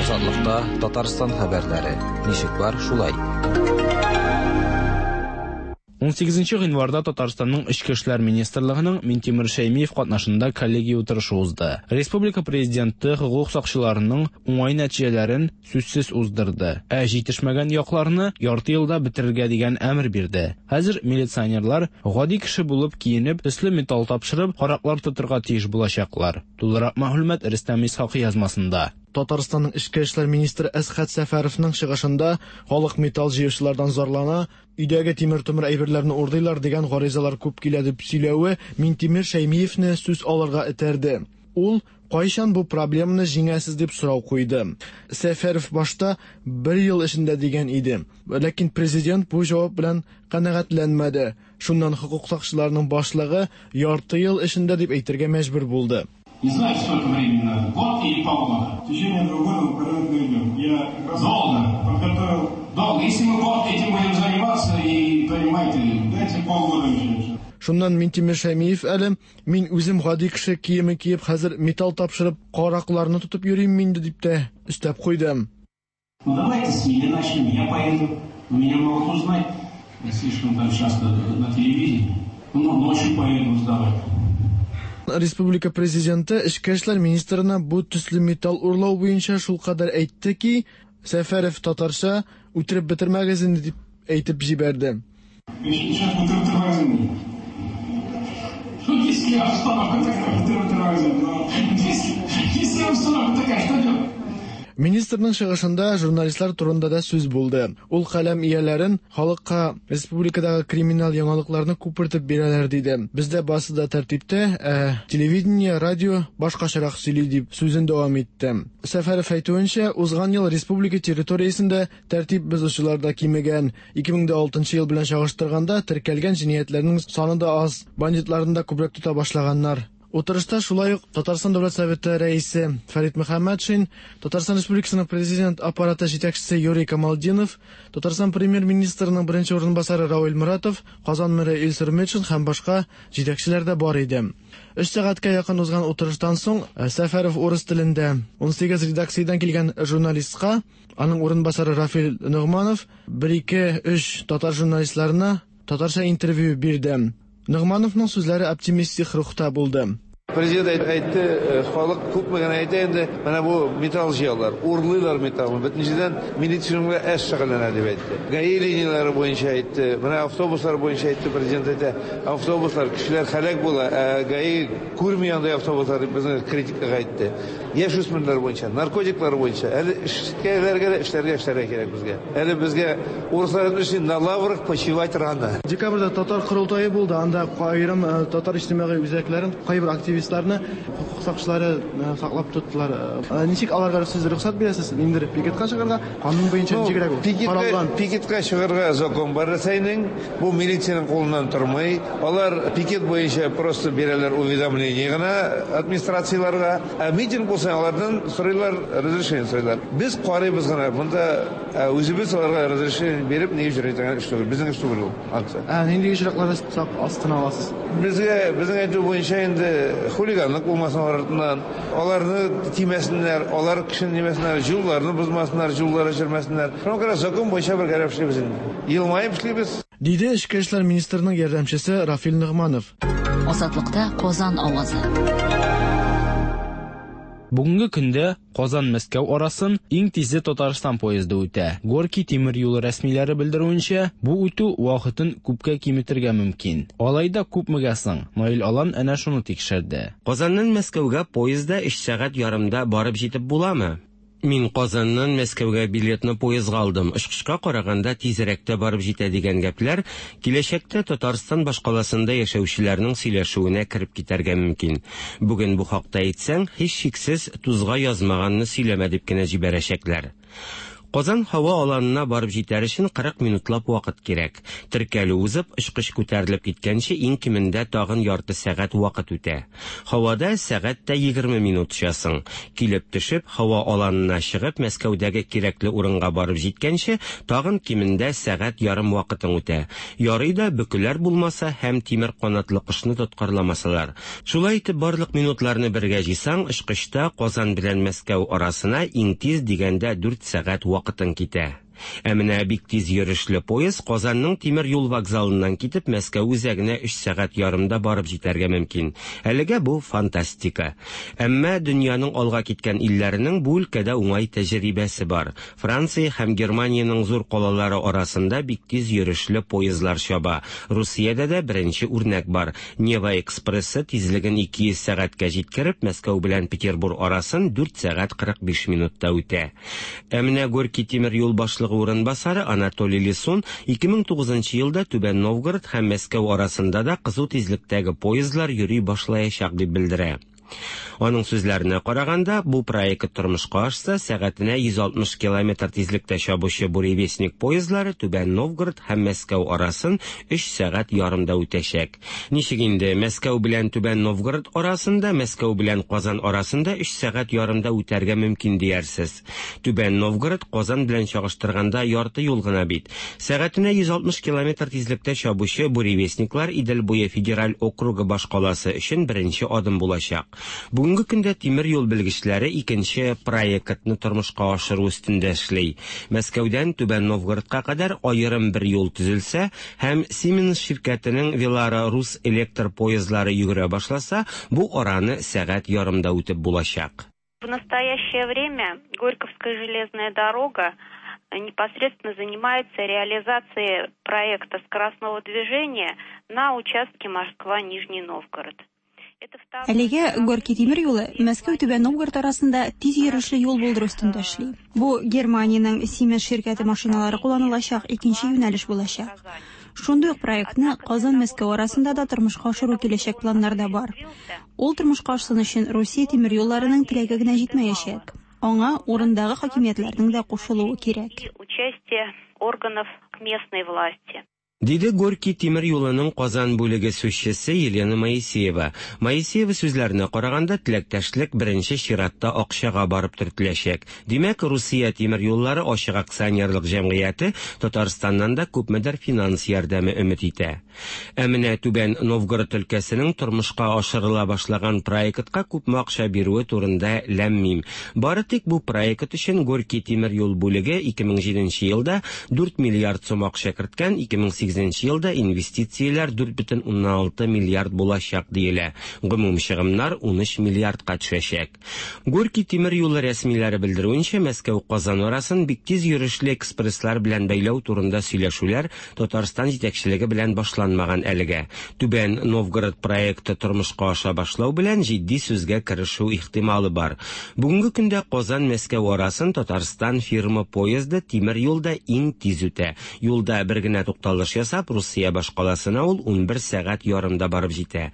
Азатлыкта Татарстан хәбәрләре. Ничек бар, шулай. ун сигезенче гыйнварда Татарстанның Эчке эшләр министрлыгының Минтимер Шәймиев катнашында коллегия утырышы узды. Республика президенты хокук сакчыларының уңай нәтиҗәләрен сүзсез уздырды. Ә җитешмәгән якларны ярты елда бетерергә дигән әмер бирде. Хәзер милиционерлар гади кеше булып киенеп, төсле металл тапшырып, караклар тотырга тиеш булачаклар. Тулырак мәгълүмат Рөстәм Исхакый язмасында. Татарстанның Эчке эшләр министры Әсхәт Сәфәровның чыгышында халык металл җыючылардан зарлана, өйдәге тимер-томыр әйберләрне урдыйлар дигән гаризалар күп килә дип сөйләве Минтимер Шәймиевне сүз алырга этәрде. Ул кайчан бу проблеманы җиңәсез дип сорау куйды. Сәфәров башта бер ел эчендә дигән иде. Ләкин президент бу җавап белән канәгатьләнмәде. Шуннан хокук сакчыларының башлыгы ярты ел эчендә дип әйтергә мәҗбүр булды. Не знаю, сколько времени надо, год или полгода. В течение двух года мы порядок наведем. Я как раз Долго. подготовил. Долго. Если мы год этим будем заниматься, и понимаете, дайте полгода еще. Шуннан Минтимер Шәймиев әле, мин үзем гади кеше киеме киеп, хәзер металл тапшырып, каракларны тотып йөрим инде дип тә өстәп куйды. Ну давайте с меня начнем, я поеду, но меня могут узнать. Я слишком там часто на телевидении. Ну, ночью поеду сдавать. Республика президенты Эчке эшләр министрына бу төсле металл урлау буенча шулкадәр әйтте ки, Сәфәров татарча үтереп бетермәгез инде дип әйтеп җибәрде. Министрның чыгышында журналистлар турында да сүз булды. Ул каләм ияләрен халыкка республикадагы криминал яңалыкларны күпертеп бирәләр диде. Бездә барысы да тәртиптә, ә телевидение, радио башкачарак сөйли дип сүзен дәвам итте. Сәфәров әйтүенчә, узган ел республика территориясендә тәртип бозучылар да кимегән. ике мең дә алтынчы ел белән чагыштырганда теркәлгән җинаятьләрнең саны да аз, бандитларны да күбрәк тота башлаганнар. Утырышта шулай ук Татарстан Дәүләт Советы рәисе Фәрит Мөхәммәтшин, Татарстан Республикасының Президент аппараты җитәкчесе Юрий Камалдинов, Татарстан Премьер-министрының беренче урынбасары Равил Моратов, Казан мэры Илсур Метшин һәм башка җитәкчеләр дә бар иде. Өч сәгатькә якын узган утырыштан соң Сәфәров урыс телендә ун сигез редакциядән килгән журналистка, аның урынбасары Рафил Ногманов бер ике өч татар журналистларына татарча интервью бирде. Ногмановның сүзләре оптимистик рухта булды. Президент әйтте, халык күпме генә әйтә инде, менә бу металл җыялар, урлыйлар металлны. Бөтенчедән милиция эш шөгыльләнә дип әйтте. ГАИ линияләре буенча әйтте, менә автобуслар буенча әйтте, президент әйтә, автобуслар кешеләр һәлак була, ә ГАИ күрми андый автобуслар дип безнең критикага әйтте. Яшь үсмерләр буенча, наркотиклар буенча, әле эшкәләргә дә эшләргә эшләргә кирәк безгә. Әле безгә урыслар өчен на лаврах почивать рано. Декабрьдә татар корылтае булды, анда аерым татар иҗтимагый үзәкләрен кайбер активистларны хукук сакчылары саклап тоттылар. Ничек аларга сез рөхсәт бирәсез? Ниндидер пикетка чыгарга, канун буенча ничегрәк ул? Каралган. Пикетка чыгарга закон бар Рәсәйнең, бу милициянең кулыннан тормый. Алар пикет буенча просто бирәләр уведомление гына администрацияләргә. Ә митинг булса, алардан сорыйлар, разрешение сорыйлар. Без карыйбыз гына, монда үзебез аларга разрешение биреп, ни өчен әйтергә эш түгел. Безнең эш түгел ул акция. Ә нинди очракларда сак астына аласыз? Безгә, безнең әйтү буенча инде хулиганлык булмасын артыннан, аларны тимәсеннәр, алар кешене тимәсеннәр, юлларны бозмасыннар, юллары җирмәсеннәр. Шуңа күрә закон буенча бергәләп эшлибез инде. Елмаеп эшлибез. Диде Эчке эшләр министрының ярдәмчесе Рафил Ногманов. Азатлыкта Казан авазы. Бүгенге көндә Казан-Мәскәү арасын иң тизе Татарстан поезды үтә. Горький тимер юлы рәсмиләре белдерүенчә, бу үтү вакытын күпкә киметергә мөмкин. Алай да күпмегә соң? Наил Алан әнә шуны тикшерде. Казаннан Мәскәүгә поездда өч сәгать ярымда барып җитеп буламы? Мин Казаннан Мәскәүгә билетны поездга алдым. Очкычка караганда тизрәк тә барып җитә дигән гәпләр киләчәктә Татарстан башкаласында яшәүчеләрнең сөйләшүенә кереп китәргә мөмкин. Бүген бу хакта әйтсәң, һичшиксез тузга язмаганны сөйләмә дип кенә җибәрәчәкләр. Казан һава аланына барып җитәр өчен кырык минутлап вакыт кирәк. Теркәлү узып, очкыч күтәрелеп киткәнче иң кимендә тагын ярты сәгать вакыт үтә. Һавада сәгать тә егерме минут очасың. Килеп төшеп, һава аланына чыгып, Мәскәүдәге кирәкле урынга барып җиткәнче тагын кимендә сәгать ярым вакытың үтә. Ярый да бөкеләр булмаса һәм тимер канатлы кошны тоткарламасалар. Шулай итеп барлык минутларны бергә җыйсаң, очкычта Казан белән Мәскәү арасына иң тиз дигәндә дүрт сәгать вакытың китә. Ә менә бик тиз йөрешле поезд Казанның тимер юл вокзалыннан китеп Мәскәү үзәгенә өч сәгать ярымда барып җитәргә мөмкин. Әлегә бу фантастика. Әмма дөньяның алга киткән илләренең бу өлкәдә уңай тәҗрибәсе бар. Франция һәм Германиянең зур калалары арасында бик тиз йөрешле поездлар чаба. Русиядә дә беренче үрнәк бар. Нева экспрессы тизлеген ике йөз сәгатькә җиткереп, Мәскәү белән Петербург арасын дүрт сәгать кырык биш минутта үтә. Ә менә Горький тимер юл башлыгы урынбасары Анатолий Лисун ике мең тугызынчы елда Түбән Новгород һәм Мәскәү арасында да кызу тизлектәге поездлар йөри башлаячак дип белдерә. Аның сүзләренә караганда, бу проект тормышка ашса, сәгатенә йөз алтмыш километр тизлектә чабучы Буревестник поездлары Түбән Новгород һәм Мәскәү арасын өч сәгать ярымда үтәчәк. Ничек инде Мәскәү белән Түбән Новгород арасында, Мәскәү белән Казан арасында өч сәгать ярымда үтәргә мөмкин диярсез. Түбән Новгород Казан белән чагыштырганда ярты юл гына бит. Сәгатенә йөз алтмыш километр тизлектә чабучы Буревестниклар Идел буе федераль округы башкаласы өчен беренче адым булачак. Бүгенге көндә тимер юл белгечләре икенче проектны тормышка ашыру өстендә эшли. Мәскәүдән Түбән Новгородка кадәр аерым бер юл төзелсә һәм Siemens ширкәтенең Велара рус электр поездлары йөгерә башласа, бу араны сәгать ярымда үтеп булачак. В настоящее время Горьковская железная дорога непосредственно занимается реализацией проекта скоростного движения на участке Москва-Нижний Новгород. Әлегә Горький тимер юлы Мәскәү-Түбән Новгород арасында тиз йөрешле юл булдыру өстендә эшли. Бу Германиянең Siemens ширкәте машиналары кулланылачак икенче юнәлеш булачак. Шундый ук проектны Казан-Мәскәү арасында да тормышка ашыру киләчәк планнарда бар. Ул тормышка ашсын өчен Русия тимер юлларының теләге генә җитмәячәк. Аңа урындагы хакимиятләрнең дә кушылуы кирәк. Участие органов местной власти. Диде Горький тимер юлының Казан бүлеге сүзчесе Елена Моисеева. Моисеева сүзләренә караганда, теләктәшлек беренче чиратта акчага барып төртеләчәк. Димәк, Русия тимер юллары ачык акционерлык җәмгыяте Татарстаннан да күпмедер финанс ярдәме өмет итә. Ә менә Түбән Новгород өлкәсенең тормышка ашырыла башлаган проектка күпме акча бирүе турында ләм-мим. Бары тик бу проект өчен Горький тимер юл бүлеге ике мең җиденче елда дүрт миллиард сум акча керткән, ике мең сигезенче елда инвестицияләр дүрт бөтен уннан алты миллиард булачак диелә. Гомум чыгымнар унөч миллиардка төшәчәк. Горький тимер юлы рәсмиләре белдерүенчә, Мәскәү-Казан арасын бик тиз йөрешле экспресслар белән бәйләү турында сөйләшүләр Татарстан җитәкчелеге белән башланмаган әлегә. Түбән Новгород проекты тормышка аша башлау белән җитди сүзгә керешү ихтималы бар. Бүгенге көндә Казан-Мәскәү арасын Татарстан фирма поезды тимер юлда иң тиз үтә. Юлда бер генә тукталыш ясап, Русия башкаласына ул унбер сәгать ярымда барып җитә.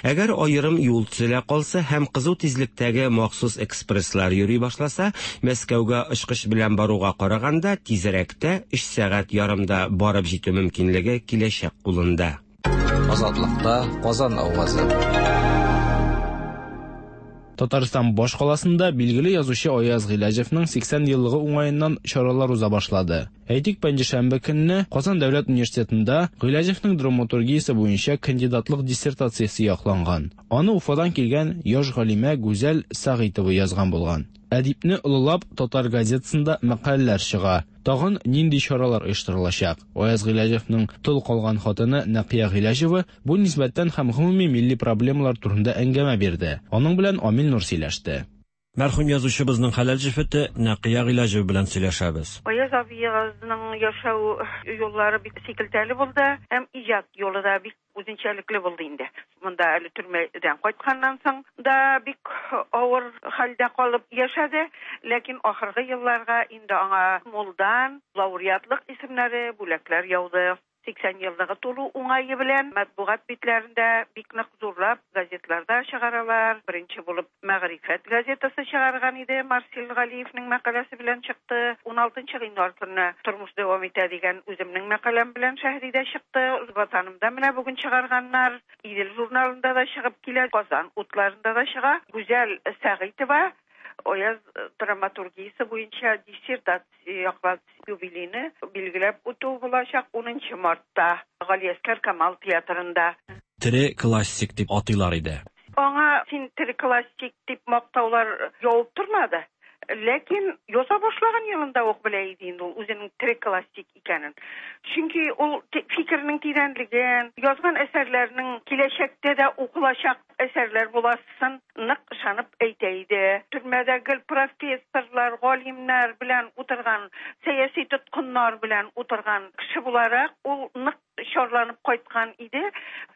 Әгәр аерым юл төзелә калса һәм кызу тизлектәге махсус экспресслар йөри башласа, Мәскәүгә очкыч белән баруга караганда тизрәктә өч сәгать ярымда барып җитү мөмкинлеге киләчәк кулында. Азатлыкта Казан авазы. Татарстан башкаласында билгеле язучы Аяз Гыйләҗевның сиксән еллыгы уңаеннан чаралар уза башлады. Әйтик, пәнҗешәмбе көнне Казан дәүләт университетында Гыйләҗевның драматургиясе буенча кандидатлык диссертациясе якланган. Аны Уфадан килгән яшь галимә Гүзәл Сәгыйтова язган булган. Әдипне олылап татар газетасында мәкаләләр чыга. Тагын нинди чаралар оештырылачак? Аяз Гыйләҗевның тол калган хатыны Нәкыя Гыйләҗева бу нисбәттән һәм гомуми милли проблемалар турында әңгәмә бирде. Аның белән Амил Нур сөйләште. Мәрхүм язучыбызның хәләл җефете Нәкыя Гыйләҗева белән сөйләшәбез. Аяз абыегызның яшәү юллары бик сикелтәле булды һәм иҗат юлы да бик үзенчәлекле булды инде. Монда әле төрмәдән кайтканнан соң да бик авыр хәлдә калып яшәде, ләкин ахыргы елларга инде аңа мулдан лауреатлык исемнәре, бүләкләр яуды. Сиксән еллыгы тулу уңае белән матбугат битләрендә бик нык зурлап газетларда чыгаралар. Беренче булып Мәгърифәт газетасы чыгарган иде, Марсил Галиевның мәкаләсе белән чыкты. Уналтынчы гыйнвар көнне Тормыш дәвам итә дигән үземнең мәкаләм белән Шәһридә чыкты. Ватанымда менә бүген чыгарганнар. Идел журналында да чыгып килә, Казан утларында да чыга. Гүзәл Сәгыйтова Аяз драматургиясе буенча диссертация яклады. Юбилейны билгеләп үтү булачак унынчы мартта Галиәсгар Камал театрында. Тере классик дип атыйлар иде. Аңа син тере классик дип мактаулар явып тормады. Ләкин яза башлаган елында ук белә иде инде ул үзенең тере классик икәнен. Чөнки ул фикернең тирәнлеген, язган әсәрләренең киләчәктә дә укылачак әсәрләр буласын нык ышанып әйтә иде. Төрмәдә гел профессорлар, галимнәр белән утырган, сәяси тоткыннар белән утырган кеше буларак ул нык чарланып кайткан иде.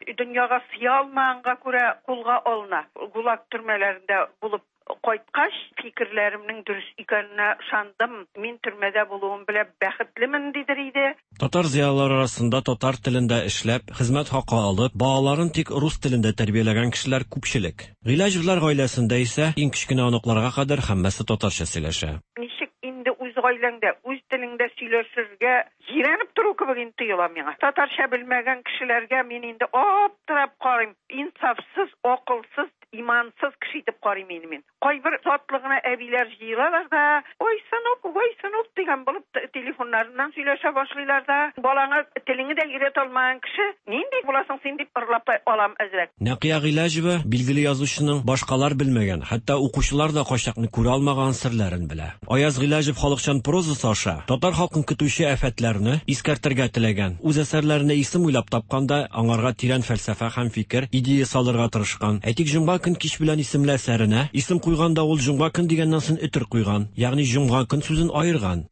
Дөньяга сыя алмаганга күрә кулга алына. ГУЛАГ төрмәләрендә булып кайткач, фикерләремнең дөрес икәненә ышандым. Мин төрмәдә булуым белән бәхетлемен, дидер иде. Татар зыялылары арасында татар телендә эшләп, хезмәт хакы алып, балаларын тик рус телендә тәрбияләгән кешеләр күпчелек. Гыйләҗевләр гаиләсендә исә иң кечкенә оныкларга кадәр һәммәсе татарча сөйләшә. Ничек инде үз гаиләңдә, үз телеңдә сөйләшергә җирәнеп тору кебек инде тоела миңа. Татарча белмәгән кешеләргә мин инде аптырап карыйм. Инсафсыз, акылсыз, имансыз кеше итеп карыйм инде мин. Кайбер затлы гына әбиләр җыелалар да, ой, сынок, ой, сынок дигән булып телефоннарыннан сөйләшә башлыйлар да, балаңа телеңне дә өйрәтә алмаган кеше нинди буласың син дип ырлап та алам әзрәк. Нәкыя Гыйләҗева билгеле язучының башкалар белмәгән, хәтта укучылар да кайчакны күрә алмаган серләрен белә. Аяз Гыйләҗев халыкчан прозасы аша татар халкын көтүче афәтләрне искәртергә теләгән. Үз әсәрләренә исем уйлап тапканда аңарга тирән фәлсәфә һәм фикер, идея салырга тырышкан. Әйтик, Җомга көн кич белән исемле әсәренә исем куйганда ул җомга көн дигәннән соң өтер куйган, ягъни җомга көн сүзен аерган.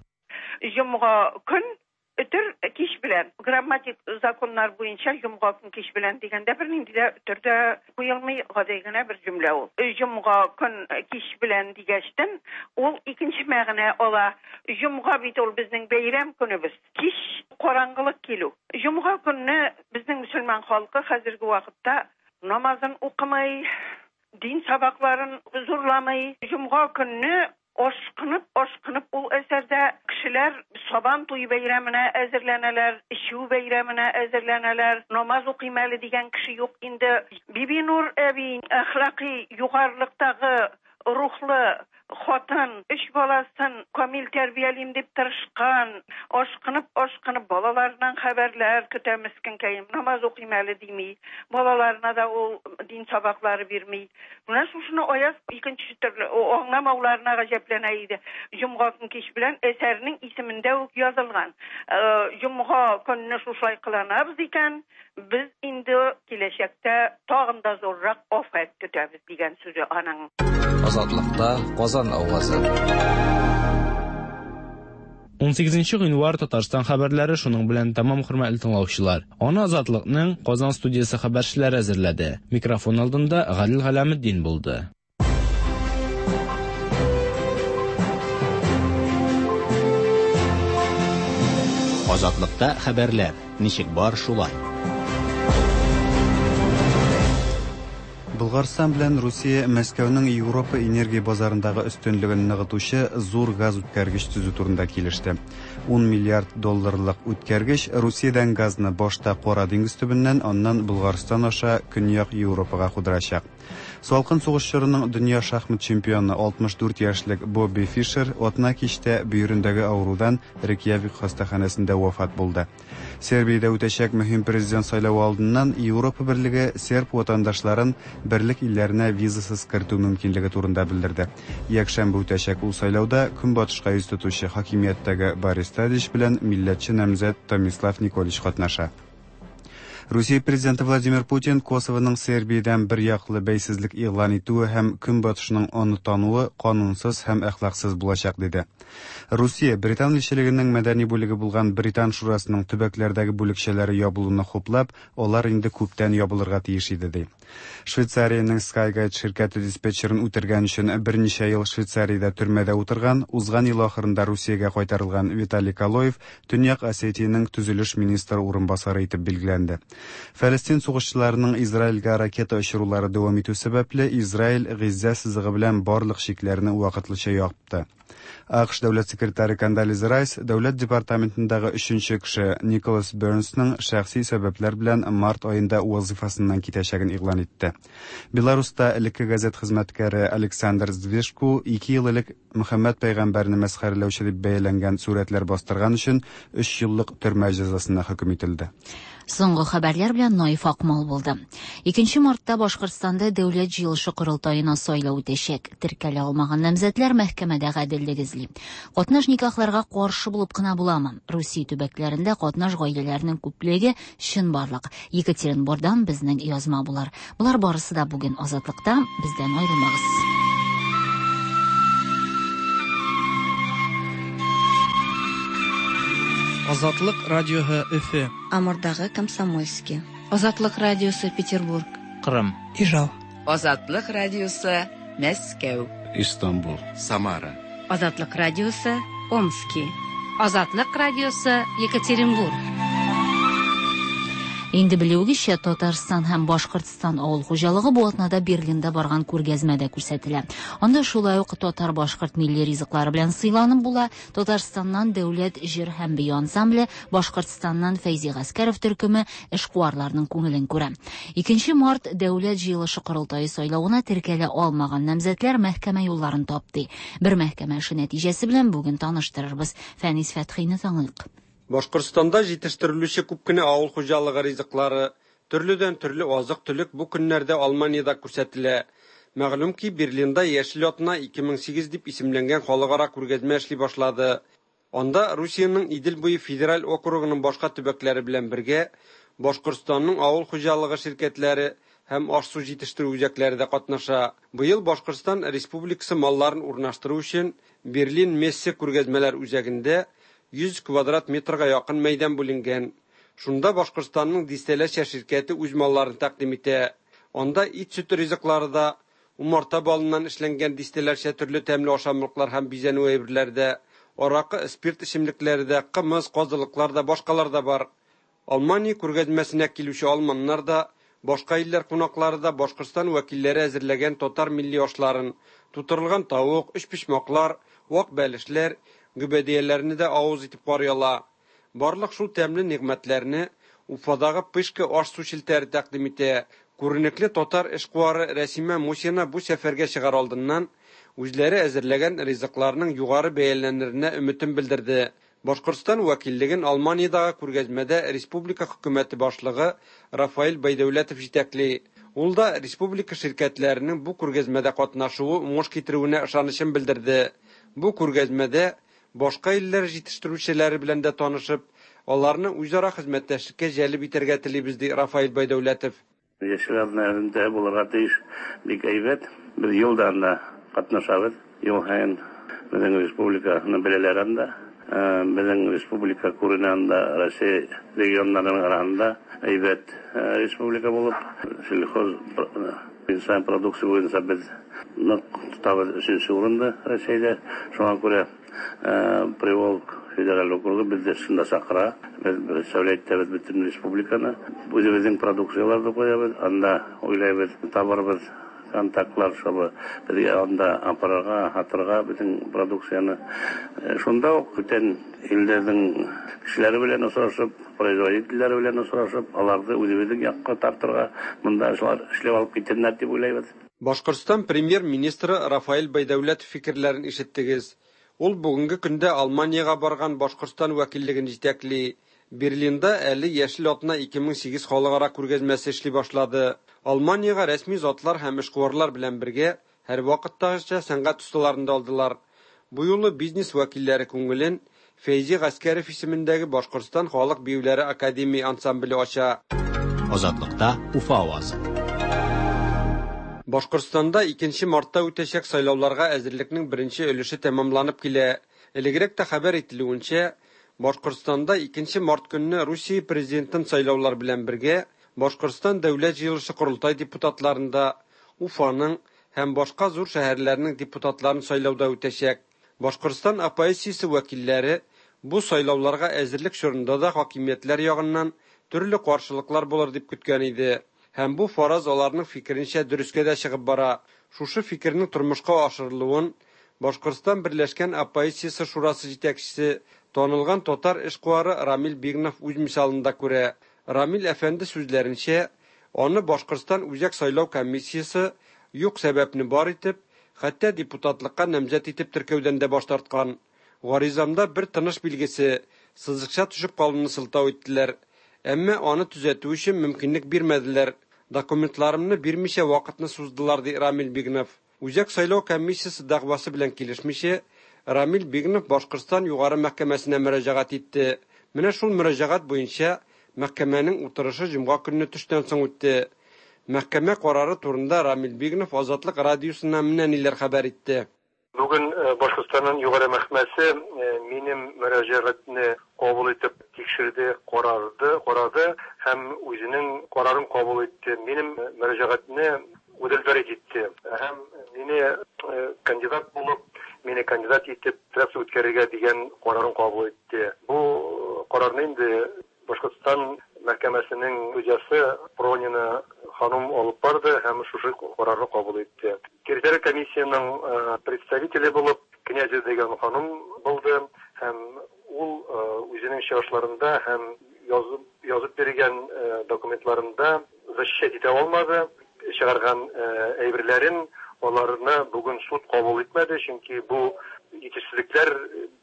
Җомга көн Өтер кич белән. Грамматик законнар буенча җомга көн кич белән дигәндә бернинди дә өтер дә куелмый, гади генә бер җөмлә ул. Җомга көн кич белән дигәчтен ул икенче мәгънә ала. Җомга бит ул безнең бәйрәм көнебез. Кич караңгылык килү. Җомга көнне безнең мөселман халкы хәзерге вакытта намазын укымый, дин сабакларын зурламый. Җомга көнне ашкынып, ашкынып ул әсәрдә кешеләр Сабан туе бәйрәменә әзерләнәләр, эчү бәйрәменә әзерләнәләр, намаз укыйм әле дигән кеше юк инде. Бибинур әби әхлакый югарылыктагы рухлы хатын, өч баласын камил тәрбиялим дип тырышкан, ашкынып, ашкынып балаларыннан хәбәрләр көтә мескенкәем, намаз укыйм әле дими, балаларына да ул дин сабаклары бирми. Менә шушыны Аяз икенче төрле аңламауларына гаҗәпләнә иде. Җомга көн кич белән әсәрнең исемендә үк язылган. Җомга көнне шушылай кыланабыз икән, без инде киләчәктә тагын да зуррак афәт көтәбез дигән сүзе аның. Азатлыкта Казан авазы. Унсигезенче гыйнвар Татарстан хәбәрләре шуның белән тәмам, хөрмәтле тыңлаучылар. Аны Азатлыкның Казан студиясе хәбәрчеләре әзерләде. Микрофон алдында Галил Галәметдин булды. Азатлыкта хәбәрләр ничек бар шулай. Болгарстан белән Русия Мәскәүнең Европа энергия базарындагы өстенлеген ныгытучы зур газ үткәргеч төзү турында килеште. Ун миллиард долларлык үткәргеч Русиядән газны башта Кара диңгез төбеннән, аннан Болгарстан аша Көньяк Европага кудырачак. Салкын сугыш чорының дөнья шахмат чемпионы алтмыш дүрт яшьлек Бобби Фишер атна кичтә бөерендәге авырудан Рейкьявик хастаханәсендә вафат булды. Сербиядә үтәчәк мөһим президент сайлавы алдыннан Европа берлеге серб ватандашларын берлек илләренә визасыз кертү мөмкинлеге турында белдерде. Якшәмбе үтәчәк ул сайлауда көнбатышка йөз тотучы хакимияттәге Борис Тадич белән милләтче намзәт Томислав Николич катнаша. Русия президенты Владимир Путин Косовоның Сербиядән бер яклы бәйсезлек игълан итүе һәм Көнбатышның аны тануы канунсыз һәм әхлаксыз булачак диде. Русия Британ илчелегенең мәдәни бүлеге булган Британ шурасының төбәкләрдәге бүлекчәләре ябылуны хуплап, алар инде күптән ябылырга тиеш иде ди. Швейцариянең Skyguide ширкәте диспетчерын үтергән өчен берничә ел Швейцариядә төрмәдә утырган, узган ел ахырында Русиягә кайтарылган Виталий Калоев Төньяк Осетиянең төзелеш министры урынбасары итеп билгеләнде. Фәлестин сугышчыларының Израильгә ракета очырулары дәвам итү сәбәпле, Израиль Газзә сызыгы белән барлык чикләрне вакытлыча япты. АКШ дәүләт секретаре Кондолиза Райс дәүләт департаментындагы өченче кеше Николас Бернсның шәхси сәбәпләр белән март аенда вазифасыннан китәчәген игълан итте. Беларуста элекке газет хезмәткәре Александр Звешку ике ел элек Мөхәммәд пәйгамбәрне мәсхәрәләүче дип бәяләнгән сурәтләр бастырган өчен өч еллык төрмә җәзасына хөкем ителде. Соңгы хәбәрләр белән Наиф Акмал булды. Икенче мартта Башкортстанда дәүләт җыелышы корылтаена сайлау үтәчәк. Теркәлә алмаган намзәтләр мәхкәмәдә гаделлек эзли. Катнаш никахларга каршы булып кына буламы? Русия төбәкләрендә катнаш гаиләләрнең күплеге чынбарлык. Екатеринбургдан безнең язма булар. Болар барысы да бүген Азатлыкта. Бездән аерылмагыз. Азатлык радиоһы Өфе. Амурдагы Комсомольский. Азатлык радиосы Петербург. Кырым. Ижау. Азатлык радиосы Мәскәү. Истанбул. Самара. Азатлык радиосы Омский. Азатлык радиосы Екатеринбург. Инде белүегезчә, Татарстан һәм Башкортстан авыл хуҗалыгы бу атнада Берлинда барган күргәзмәдә күрсәтелә. Анда шулай ук татар-башкорт милли ризыклары белән сыйланып була. Татарстаннан дәүләт җыр һәм бию ансамбле, Башкортстаннан Фәйзи Гаскәров төркеме эшкуарларның күңелен күрә. Икенче март дәүләт җыелышы корылтае сайлавына теркәлә алмаган намзәтләр мәхкәмә юлларын тапты. Бер мәхкәмә эше нәтиҗәсе белән бүген таныштырырбыз. Фәнис Фәтхине тыңлыйк. Башкортстанда җитештерелүче күп кенә авыл хуҗалыгы ризыклары, төрледән төрле азык-төлек бу көннәрдә Алманиядә күрсәтелә. Мәгълүм ки, Берлинда Яшел атна ике мең сигез дип исемләнгән халыкара күргәзмә эшли башлады. Анда Русиянең Идел буе федераль округының башка төбәкләре белән бергә Башкортстанның авыл хуҗалыгы ширкәтләре һәм аш-су җитештерү үзәкләре дә катнаша. Быел Башкортстан Республикасы малларын урнаштыру өчен Берлин Мессе күргәзмәләр үзәгендә йөз квадрат метрга якын мәйдан бүленгән. Шунда Башкортстанның дистәләрчә ширкәте үз малларын тәкъдим итә. Анда ит-сөт ризыклары да, умарта балыннан эшләнгән дистәләрчә төрле тәмле ашамлыклар һәм бизәнү әйберләре дә, аракы, спирт эчемлекләре дә, кымыз, казылыклар да, башкалар да бар. Алмания күргәзмәсенә килүче алманнар да, башка илләр кунаклары да Башкортстан вәкилләре әзерләгән татар милли ашларын, тутырылган тавык, өчпочмаклар, вак бәлешләр, гөбәдияләрне дә авыз итеп карый ала. Барлык шул тәмле нигъмәтләрне Уфадагы Пышка аш-су челтәре тәкъдим итә. Күренекле татар эшкуары Рәсимә Мусина бу сәфәргә чыгар алдыннан үзләре әзерләгән ризыкларның югары бәяләнеренә өметен белдерде. Башкортстан вәкиллеген Алманиядәге күргәзмәдә республика хөкүмәте башлыгы Рафаэль Байдәүләтов җитәкли. Ул да республика ширкәтләренең бу күргәзмәдә катнашуы уңыш китерүенә ышанычын белдерде. Бу күргәзмәдә башка илләр җитештерүчеләре белән дә танышып, аларны үзара хезмәттәшлеккә җәлеп итәргә телибез, ди Рафаэль Байдәүләтов. Яшел атна элемтә булырга тиеш, бик әйбәт. Без ел да анда катнашабыз. Ел һайын безнең республиканы беләләр анда. Безнең республика күренә анда Россия регионнарының арасында әйбәт республика булып, сельхоз инсан продукция буенча без нык тотабыз өченче урында Россиядә. Шуңа күрә Приволг федераль округы безне шунда чакыра. Без представлять итәбез бөтен республиканы. Үзебезнең продукцияләрне куябыз, анда уйлайбыз, табарбыз контактлар, чтобы безгә анда апарырга, һатырга бөтен продукцияне. Шунда ук бүтән илләрнең кешеләре белән очрашып, производительләре белән очрашып, аларны үзебезнең якка тартырга, монда шулар эшләп алып китәрләр дип уйлайбыз. Башкортстан премьер-министры Рафаэль Байдәүләтов фикерләрен ишеттегез. Ул бүгенге көндә Алманиягә барган Башкортстан вәкиллеген җитәкли. Берлинда әле Яшел атна ике мең сигез халыкара күргәзмәсе эшли башлады. Алманиягә рәсми затлар һәм эшкуарлар белән бергә һәрвакыттагыча сәнгать осталарын да алдылар. Бу юлы бизнес вәкилләре күңелен Фәйзи Гаскәров исемендәге Башкортстан халык биюләре академия ансамбле ача. Азатлыкта Уфа авазы. Башкортстанда икенче мартта үтәчәк сайлауларга әзерлекнең беренче өлеше тәмамланып килә. Элегрәк тә хәбәр ителүенчә, Башкортстанда икенче март көнне Русия президентын сайлаулар белән бергә Башкортстан Дәүләт җыелышы корылтай депутатларында Уфаның һәм башка зур шәһәрләрнең депутатларын сайлауда үтәчәк. Башкортстан оппозициясе вәкилләре бу сайлауларга әзерлек чорында да хакимиятләр ягыннан төрле каршылыклар булыр дип көткән иде. Һәм бу фараз аларның фикеренчә дөрескә дә чыгып бара. Шушы фикернең тормышка ашырылуын Башкортстан Берләшкән оппозициясе шурасы җитәкчесе, танылган татар эшкуары Рамил Бигнов үз мисалында күрә. Рамил әфәнде сүзләренчә, аны Башкортстан Үзәк сайлау комиссиясе юк сәбәпне бар итеп, хәтта депутатлыкка намзәт итеп теркәүдән дә баш тарткан. Гаризамда бер тыныш билгесе, сызыкча төшеп калуны сылтау иттеләр. Әмма аны төзәтү өчен мөмкинлек бирмәделәр. Документларымны бирмичә вакытны суздылар, ди Рамил Бигнов. Үзәк сайлау комиссиясе дәгъвасы белән килешмичә, Рамил Бигнов Башкортстан югары мәхкәмәсенә мөрәҗәгать итте. Менә шул мөрәҗәгать буенча мәхкәмәнең утырышы җомга көнне төштән соң үтте. Мәхкәмә карары турында Рамил Бигнов Азатлык радиосына менә ниләр хәбәр итте. Бүген Башкортстанның югары мәхкәмәсе минем мөрәҗәгатьне кабул итеп тикшерде, карарды, карады һәм үзенең карарын кабул итте. Минем мөрәҗәгатьне удовлетворить итте. Һәм мине кандидат булып, мине кандидат итеп трасса үткәрергә дигән карарын кабул итте. Бу карарны инде Башкортстан мәхкәмәсенең судьясы Пронина ханым алып барды һәм шушы карарны кабул итте. Территориаль комиссиянең представителе булып Князев дигән ханым булды һәм ул үзенең чыгышларында һәм язып, язып биргән документларында защищать итә алмады. Чыгарган әйберләрен аларны бүген суд кабул итмәде, чөнки бу җитешсезлекләр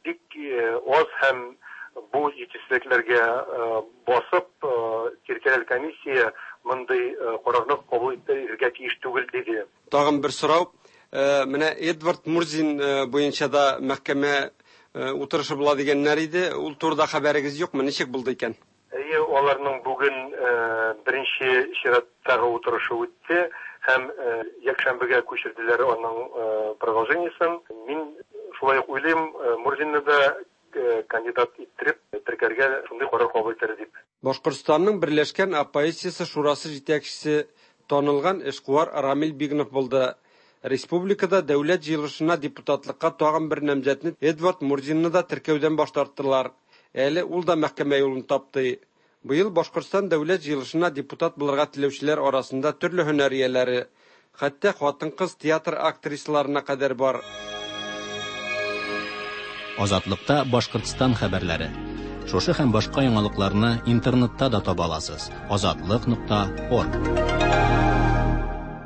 бик аз һәм бу җитешсезлекләргә басып территориаль комиссия мондый карарны кабул итәргә тиеш түгел диде. Тагын бер сорау. Менә Эдвард Мурзин буенча да мәхкәмә утырышы була дигәннәр иде. Ул турыда хәбәрегез юкмы? Ничек булды икән? Әйе, аларның бүген беренче чираттагы утырышы үтте һәм якшәмбегә күчерделәр аның продолжениесен. Мин шулай ук уйлыйм, Мурзинны да кандидат иттереп теркәргә шундый карар кабул итәр дип. Башкортстанның Берләшкән оппозициясе шурасы җитәкчесе танылган эшкуар Рамил Бигнов булды. Республикада дәүләт җыелышына депутатлыкка тагын бер намзәтне Эдвард Мурзинны да теркәүдән баш тарттылар. Әле ул да мәхкәмә юлын тапты. Быел Башкортстан дәүләт җыелышына депутат булырга теләүчеләр арасында төрле һөнәр ияләре, хәтта хатын-кыз театр актрисаларына кадәр бар. Азатлыкта Башкортстан хәбәрләре. Шушы һәм башка яңалыкларны интернетта да таба аласыз. Азатлык нокта орг.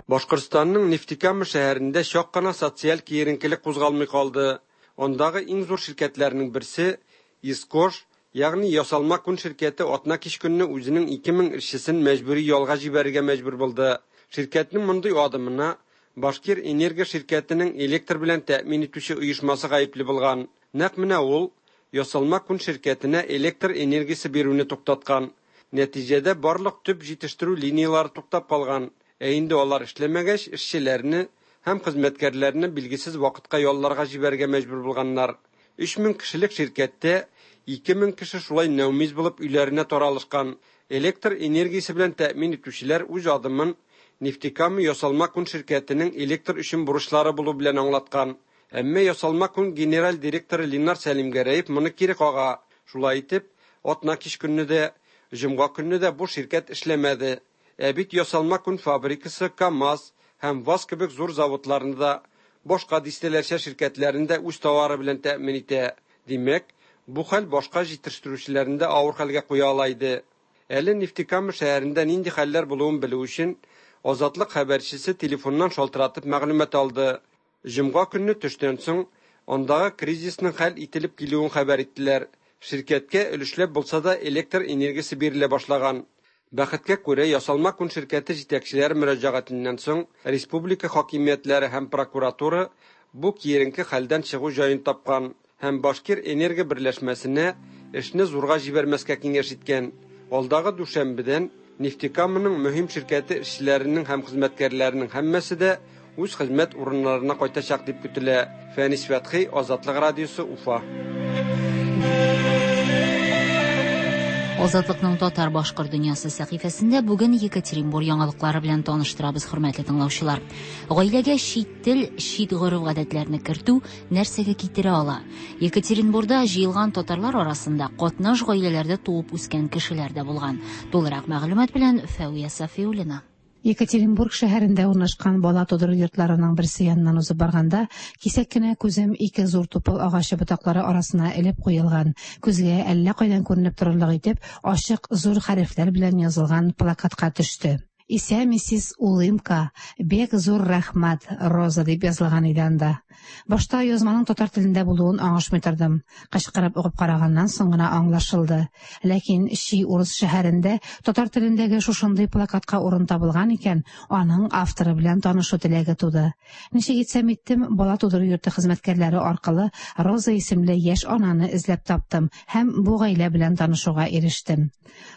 Башкортстанның Нефтекама шәһәрендә чак кына социаль киеренкелек кузгалмый калды. Андагы иң зур ширкәтләрнең берсе Искош, ягъни ясалма күн ширкәте атна кич көнне үзенең ике мең эшчесен мәҗбүри ялга җибәрергә мәҗбүр булды. Ширкәтнең мондый адымына Башкир энергия ширкәтенең электр белән тәэмин итүче оешмасы гаепле булган. Нәкъ менә ул ясалма күн ширкәтенә электр энергиясе бирүне туктаткан. Нәтиҗәдә барлык төп җитештерү линиялары туктап калган. Ә инде алар эшләмәгәч, эшчеләрне һәм хезмәткәрләрне билгесез вакытка ялларга җибәрергә мәҗбүр булганнар. Өч мең кешелек ширкәттә ике мең кеше шулай нәүмиз булып өйләренә таралышкан. Электр энергиясе белән тәэмин итүчеләр үз адымын Нефтекама ясалма күн ширкәтенең электр өчен бурычлары булу белән аңлаткан. Әмма ясалма күн генераль директоры Ленар Сәлимгәрәев моны кире кага. Шулай итеп, атна кич көнне дә, җомга көнне дә бу ширкәт эшләмәде. Ә бит ясалма күн фабрикасы КАМАЗ һәм ВАЗ кебек зур заводларны да, башка дистәләрчә ширкәтләрне дә үз товары белән тәэмин итә. Димәк, бу хәл башка җитештерүчеләрне дә авыр хәлгә куя ала иде. Әле Нефтекама шәһәрендә нинди хәлләр булуын белү өчен Азатлык хәбәрчесе телефоннан шалтыратып мәгълүмат алды. Җомга көнне төштән соң андагы кризисның хәл ителеп килүен хәбәр иттеләр. Ширкәткә өлешләп булса да электр энергиясе бирелә башлаган. Бәхеткә күрә, ясалма күн ширкәте җитәкчеләре мөрәҗәгатеннән соң республика хакимиятләре һәм прокуратура бу киеренке хәлдән чыгу җаен тапкан һәм Башкир энергия берләшмәсенә эшне зурга җибәрмәскә киңәш иткән. Алдагы дүшәмбедән Нефтекаманың мөһим ширкәте эшчеләренең һәм хезмәткәрләренең һәммәсе дә үз хезмәт урыннарына кайтачак дип көтелә. Фәнис Фәтхи, Азатлык радиосы, Уфа. Азатлыкның татар башкорт дөньясы сәхифәсендә бүген Екатеринбур яңалыклары белән таныштырабыз, хөрмәтле тыңлаучылар. Гаиләгә чит тел, чит гореф-гадәтләрне кертү нәрсәгә китерә ала? Екатеринбурда җыелган татарлар арасында катнаш гаиләләрдә туып үскән кешеләр дә булган. Тулырак мәгълүмат белән Фәүя Сафиуллина. Екатеринбург шәһәрендә урнашкан бала тудыру йортларының берсе яныннан узып барганда, кисәк кенә күзем ике зур тупыл агачы ботаклары арасына элеп куелган, күзгә әллә кайдан күренеп торырлык итеп, ачык зур хәрефләр белән язылган плакатка төште. Исә миссис Улымка, бек зур рәхмәт, Роза дип язылган иде анда. Башта язманың татар телендә булуын аңышмый тордым. Кычкырып укып караганнан соң гына аңлашылды. Ләкин Ши урыс шәһәрендә татар телендәге шушындый плакатка урын табылган икән, аның авторы белән танышу теләге туды. Ничек итсәм иттем, бала тудыру йорты хезмәткәрләре аркылы Роза исемле яшь ананы эзләп таптым һәм бу гаилә белән танышуга ирештем.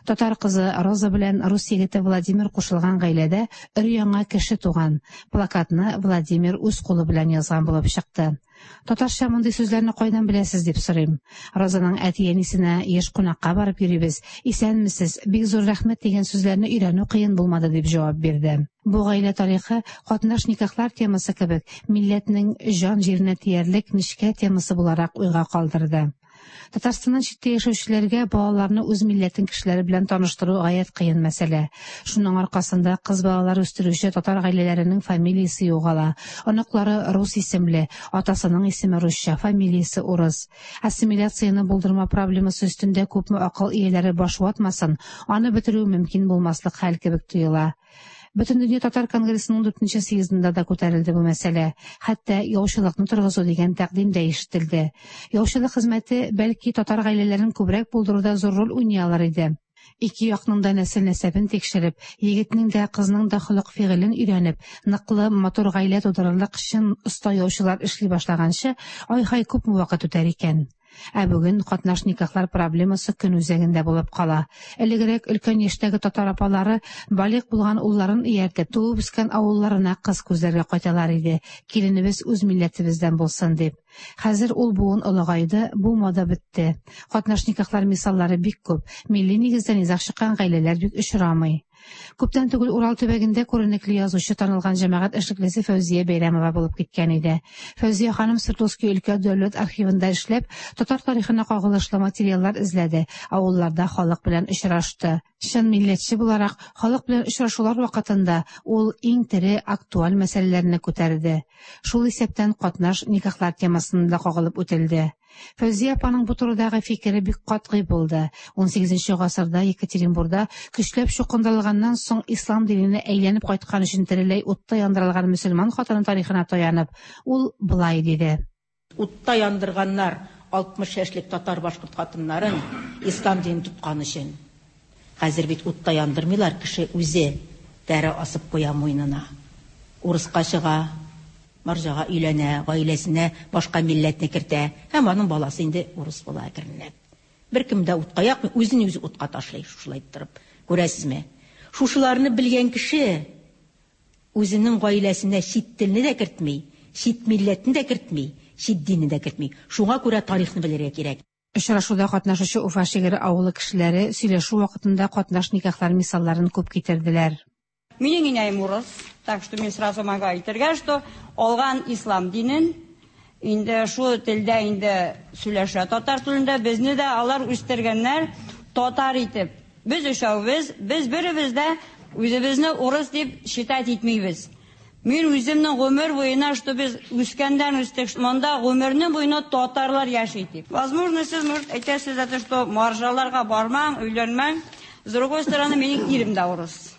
Татар кызы Роза белән рус егете Владимир кушылган гаиләдә өр-яңа кеше туган. Плакатны Владимир үз кулы белән язган булып чыкты. Татарча мондый сүзләрне кайдан беләсез дип сорыйм. Розаның әти-әнисенә еш кунакка барып йөрибез. Исәнмесез, бик зур рәхмәт дигән сүзләрне өйрәнү кыен булмады дип җавап бирде. Бу гаилә тарихы катнаш никахлар темасы кебек милләтнең җан җиренә тиярлек нечкә темасы буларак уйга калдырды. Татарстаннан читтә яшәүчеләргә балаларны үз милләтен кешеләре белән таныштыру гаять кыен мәсьәлә. Шуның аркасында кыз балалар үстерүче татар гаиләләренең фамилиясе югала. Оныклары рус исемле, атасының исеме русча, фамилиясе урыс. Ассимиляцияне булдырма проблемасы өстендә күпме акыл ияләре баш ватмасын, аны бетерү мөмкин булмаслык хәл кебек тоела. Бөтендөнья татар конгрессының дүртенче съездында да күтәрелде бу мәсьәлә. Хәтта яучылыкны торгызу дигән тәкъдим дә ишетелде. Яучылык хезмәте бәлки татар гаиләләрен күбрәк булдыруда зур роль уйный алыр иде. Ике якның да нәсел нәсәбен тикшереп, егетнең дә кызның да холык фигылен өйрәнеп, ныклы матур гаилә тудырырлык чын оста яучылар эшли башлаганчы, ай-һай күпме вакыт үтәр икән. Ә бүген катнаш никахлар проблемасы көн үзәгендә булып кала. Элегрәк өлкән яшьтәге татар апалары балигъ булган улларын ияртеп, туып үскән авылларына кыз күзләргә кайталар иде. Киленебез үз милләтебездән булсын дип. Хәзер ул буын олыгайды, бу мода бетте. Катнаш никахлар мисаллары бик күп. Милли нигездә низаг чыккан гаиләләр бик очрамый. Күптән түгел Урал төбәгендә күренекле язучы, танылган җәмәгать эшлеклесе Фәүзия Бәйрәмова булып киткән иде. Фәүзия ханым Свердловский өлкә дәүләт архивында эшләп, татар тарихына кагылышлы материаллар эзләде, авылларда халык белән очрашты. Чын милләтче буларак, халык белән очрашулар вакытында ул иң тере актуаль мәсьәләләрне күтәрде. Шул исәптән катнаш никахлар темасына да кагылып үтелде. Фәүзия апаның бу турыдагы фикере бик катгый булды. Унсигезенче гасырда Екатеринбурда көчләп чукындырылганнан соң ислам диненә әйләнеп кайткан өчен тереләй утта яндырылган мөселман хатыны тарихына таянып, ул былай диде. Утта яндырганнар алтмыш яшьлек татар башкорт хатыннарын ислам динен тоткан өчен. Хәзер бит утта яндырмыйлар, кеше үзе тәре асып куя муенына. Урыска чыга, марҗага өйләнә, гаиләсенә башка милләтне кертә һәм аның баласы инде урыс була әкренләп. Беркем дә утка якмый, үзен үзе утка ташлый, шушылай торып. Күрәсезме? Шушыларны белгән кеше үзенең гаиләсенә чит телне дә кертми, чит милләтне дә кертми, чит динне дә кертми. Шуңа күрә тарихны белергә кирәк. Очрашуда катнашучы Уфа Шигере авылы кешеләре сөйләшү вакытында катнаш никахлар мисалларын күп китерделәр. Минең инәем урыс, так что мин сразу могу әйтергә, что алган ислам динен, инде шул телдә инде сөйләшә татар телендә, безне дә алар үстергәннәр татар итеп. Без өчәүбез, без беребез дә үзебезне урыс дип считать итмибез. Мин үземнең гомер буена, что без үскәндән үстек, монда гомернең буена татарлар яши дип. Возможно, сез может әйтәсез, что маржаларга бармаң, өйләнмәң. С другой стороны, минем ирем дә урыс.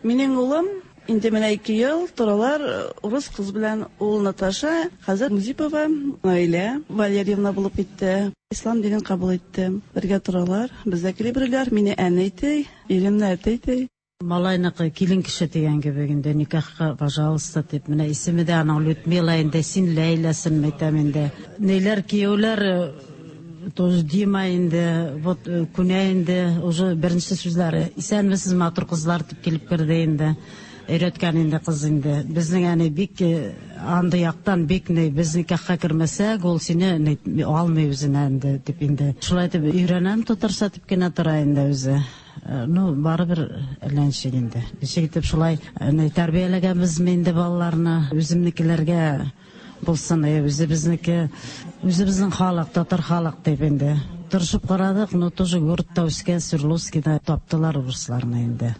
Минең улым инде менә ике ел торалар урыс кыз белән, ул Наташа, хәзер Музипова, Наилә Валерьевна булып китте. Ислам динен кабул итте. Бергә торалар, бездә килеп мине әни әйтә, иремне әти әйтә. Малайныкы килен кеше дигән кебек инде никахка, пожалуйста, дип. Менә исеме дә аның Людмила инде, син Ләйләсен әйтәм инде. Ниләр кияүләр тоже Дима инде, вот күнә инде, уже беренче сүзләре. Исәнмесез, матур кызлар дип килеп керде инде. Өйрәткән инде кыз инде. Безнең әни бик андый яктан бик ни, без никахка кермәсәк, ул сине алмый үзенә инде дип инде. Шулай итеп өйрәнәм татарча дип кенә тора инде үзе. Ну, барыбер әллә ничек инде. Ничек итеп шулай тәрбияләгәнбезме инде балаларны, үземнекеләргә булсын, үзебезнеке, үзебезнең халык, татар халык дип инде. Тырышып карадык, но тоже городта үскән Свердловскийда таптылар урысларны инде.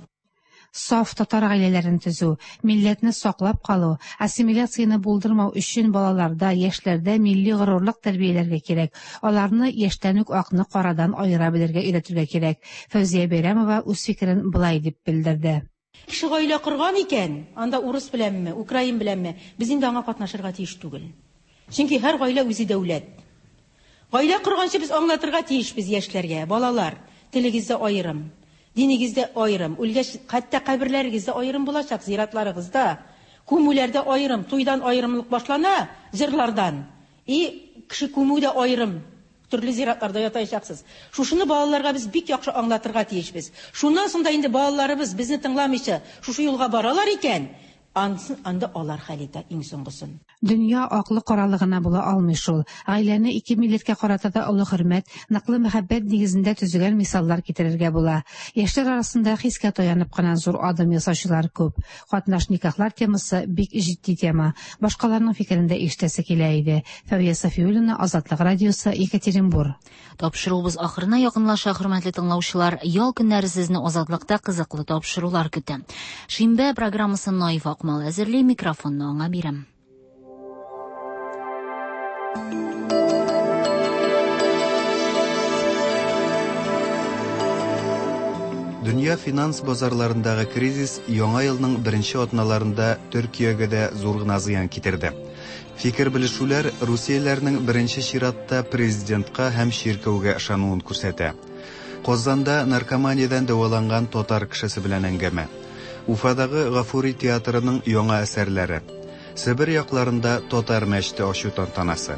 Саф татар гаиләләрен төзү, милләтне саклап калу, ассимиляцияне булдырмау өчен балаларда, яшьләрдә милли горурлык тәрбияләргә кирәк. Аларны яшьтән үк акны карадан аера белергә өйрәтергә кирәк. Фәүзия Бәйрәмова үз фикерен былай дип белдерде. Кеше гаилә корган икән, анда урыс беләнме, украин беләнме, без инде аңа катнашырга тиеш түгел. Чөнки һәр гаилә үзе дәүләт. Гаилә корганчы без аңлатырга тиешбез яшьләргә, балалар, телегездә аерым, динегездә аерым, үлгәч хәтта каберләрегездә аерым булачак, зиратларыгызда, күмүләрдә аерым, туйдан аерымлык башлана, җырлардан. И кеше күмүдә аерым, төрле зиратларда ятачаксыз. Шушыны балаларга без бик яхшы аңлатырга тиешбез. Шуннан соң да инде балаларыбыз безне тыңламыйча шушы юлга баралар икән, ансын анда алар хәл итә иң соңгысын. Дөнья аклы каралы гына була алмый шул. Гаиләне ике милләткә карата да олы хөрмәт, ныклы мәхәббәт нигезендә төзегән мисаллар китерергә була. Яшьләр арасында хискә таянып кына зур адым ясаучылар күп. Катнаш никахлар темасы бик җитди тема. Башкаларның фикерен дә ишетәсе килә иде. Фәвия Сафиуллина, Азатлык радиосы, Екатеринбур. Тапшыруыбыз ахырына якынлаша, хөрмәтле тыңлаучылар. Ял көннәре сезне Азатлыкта кызыклы тапшырулар көтә. Шимбә программасын Наиф Акмал әзерли, микрофонны аңа бирәм. Дөнья финанс базарларындагы кризис яңа елның беренче атналарында Төркиягә дә зур гына зыян китерде. Фикер белешүләр Русияләрнең беренче чиратта президентка һәм чиркәүгә ышануын күрсәтә. Казанда наркоманиядән дәваланган татар кешесе белән әңгәмә. Уфадагы Гафури театрының яңа әсәрләре. Себер якларында татар мәчете ачу тантанасы.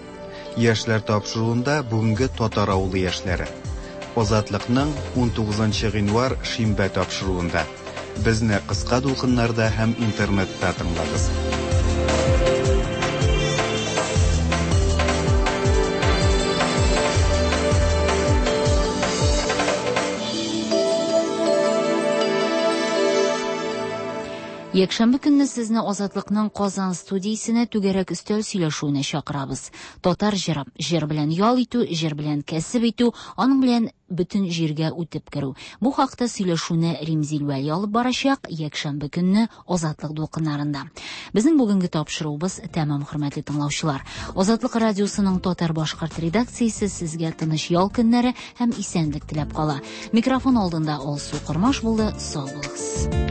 Яшьләр тапшыруында бүгенге татар авылы яшьләре. Азатлыкның унтугызынчы гыйнвар шимбә тапшыруында. Безне кыска дулкыннарда һәм интернетта тыңлагыз. Якшәмбе көнне сезне Азатлыкның Казан студиясенә түгәрәк өстәл сөйләшүенә чакырабыз. Татар җыры, җыр белән ял итү, җыр белән кәсеп итү, аның белән бөтен җиргә үтеп керү. Бу хакта сөйләшүне Римзил Вәли алып барачак якшәмбе көнне Азатлык дулкыннарында. Безнең бүгенге тапшыруыбыз тәмам, хөрмәтле тыңлаучылар. Азатлык радиосының татар-башкорт редакциясе сезгә тыныч ял көннәре һәм исәнлек теләп кала. Микрофон алдында Алсу Кормаш булды. Сау булыгыз.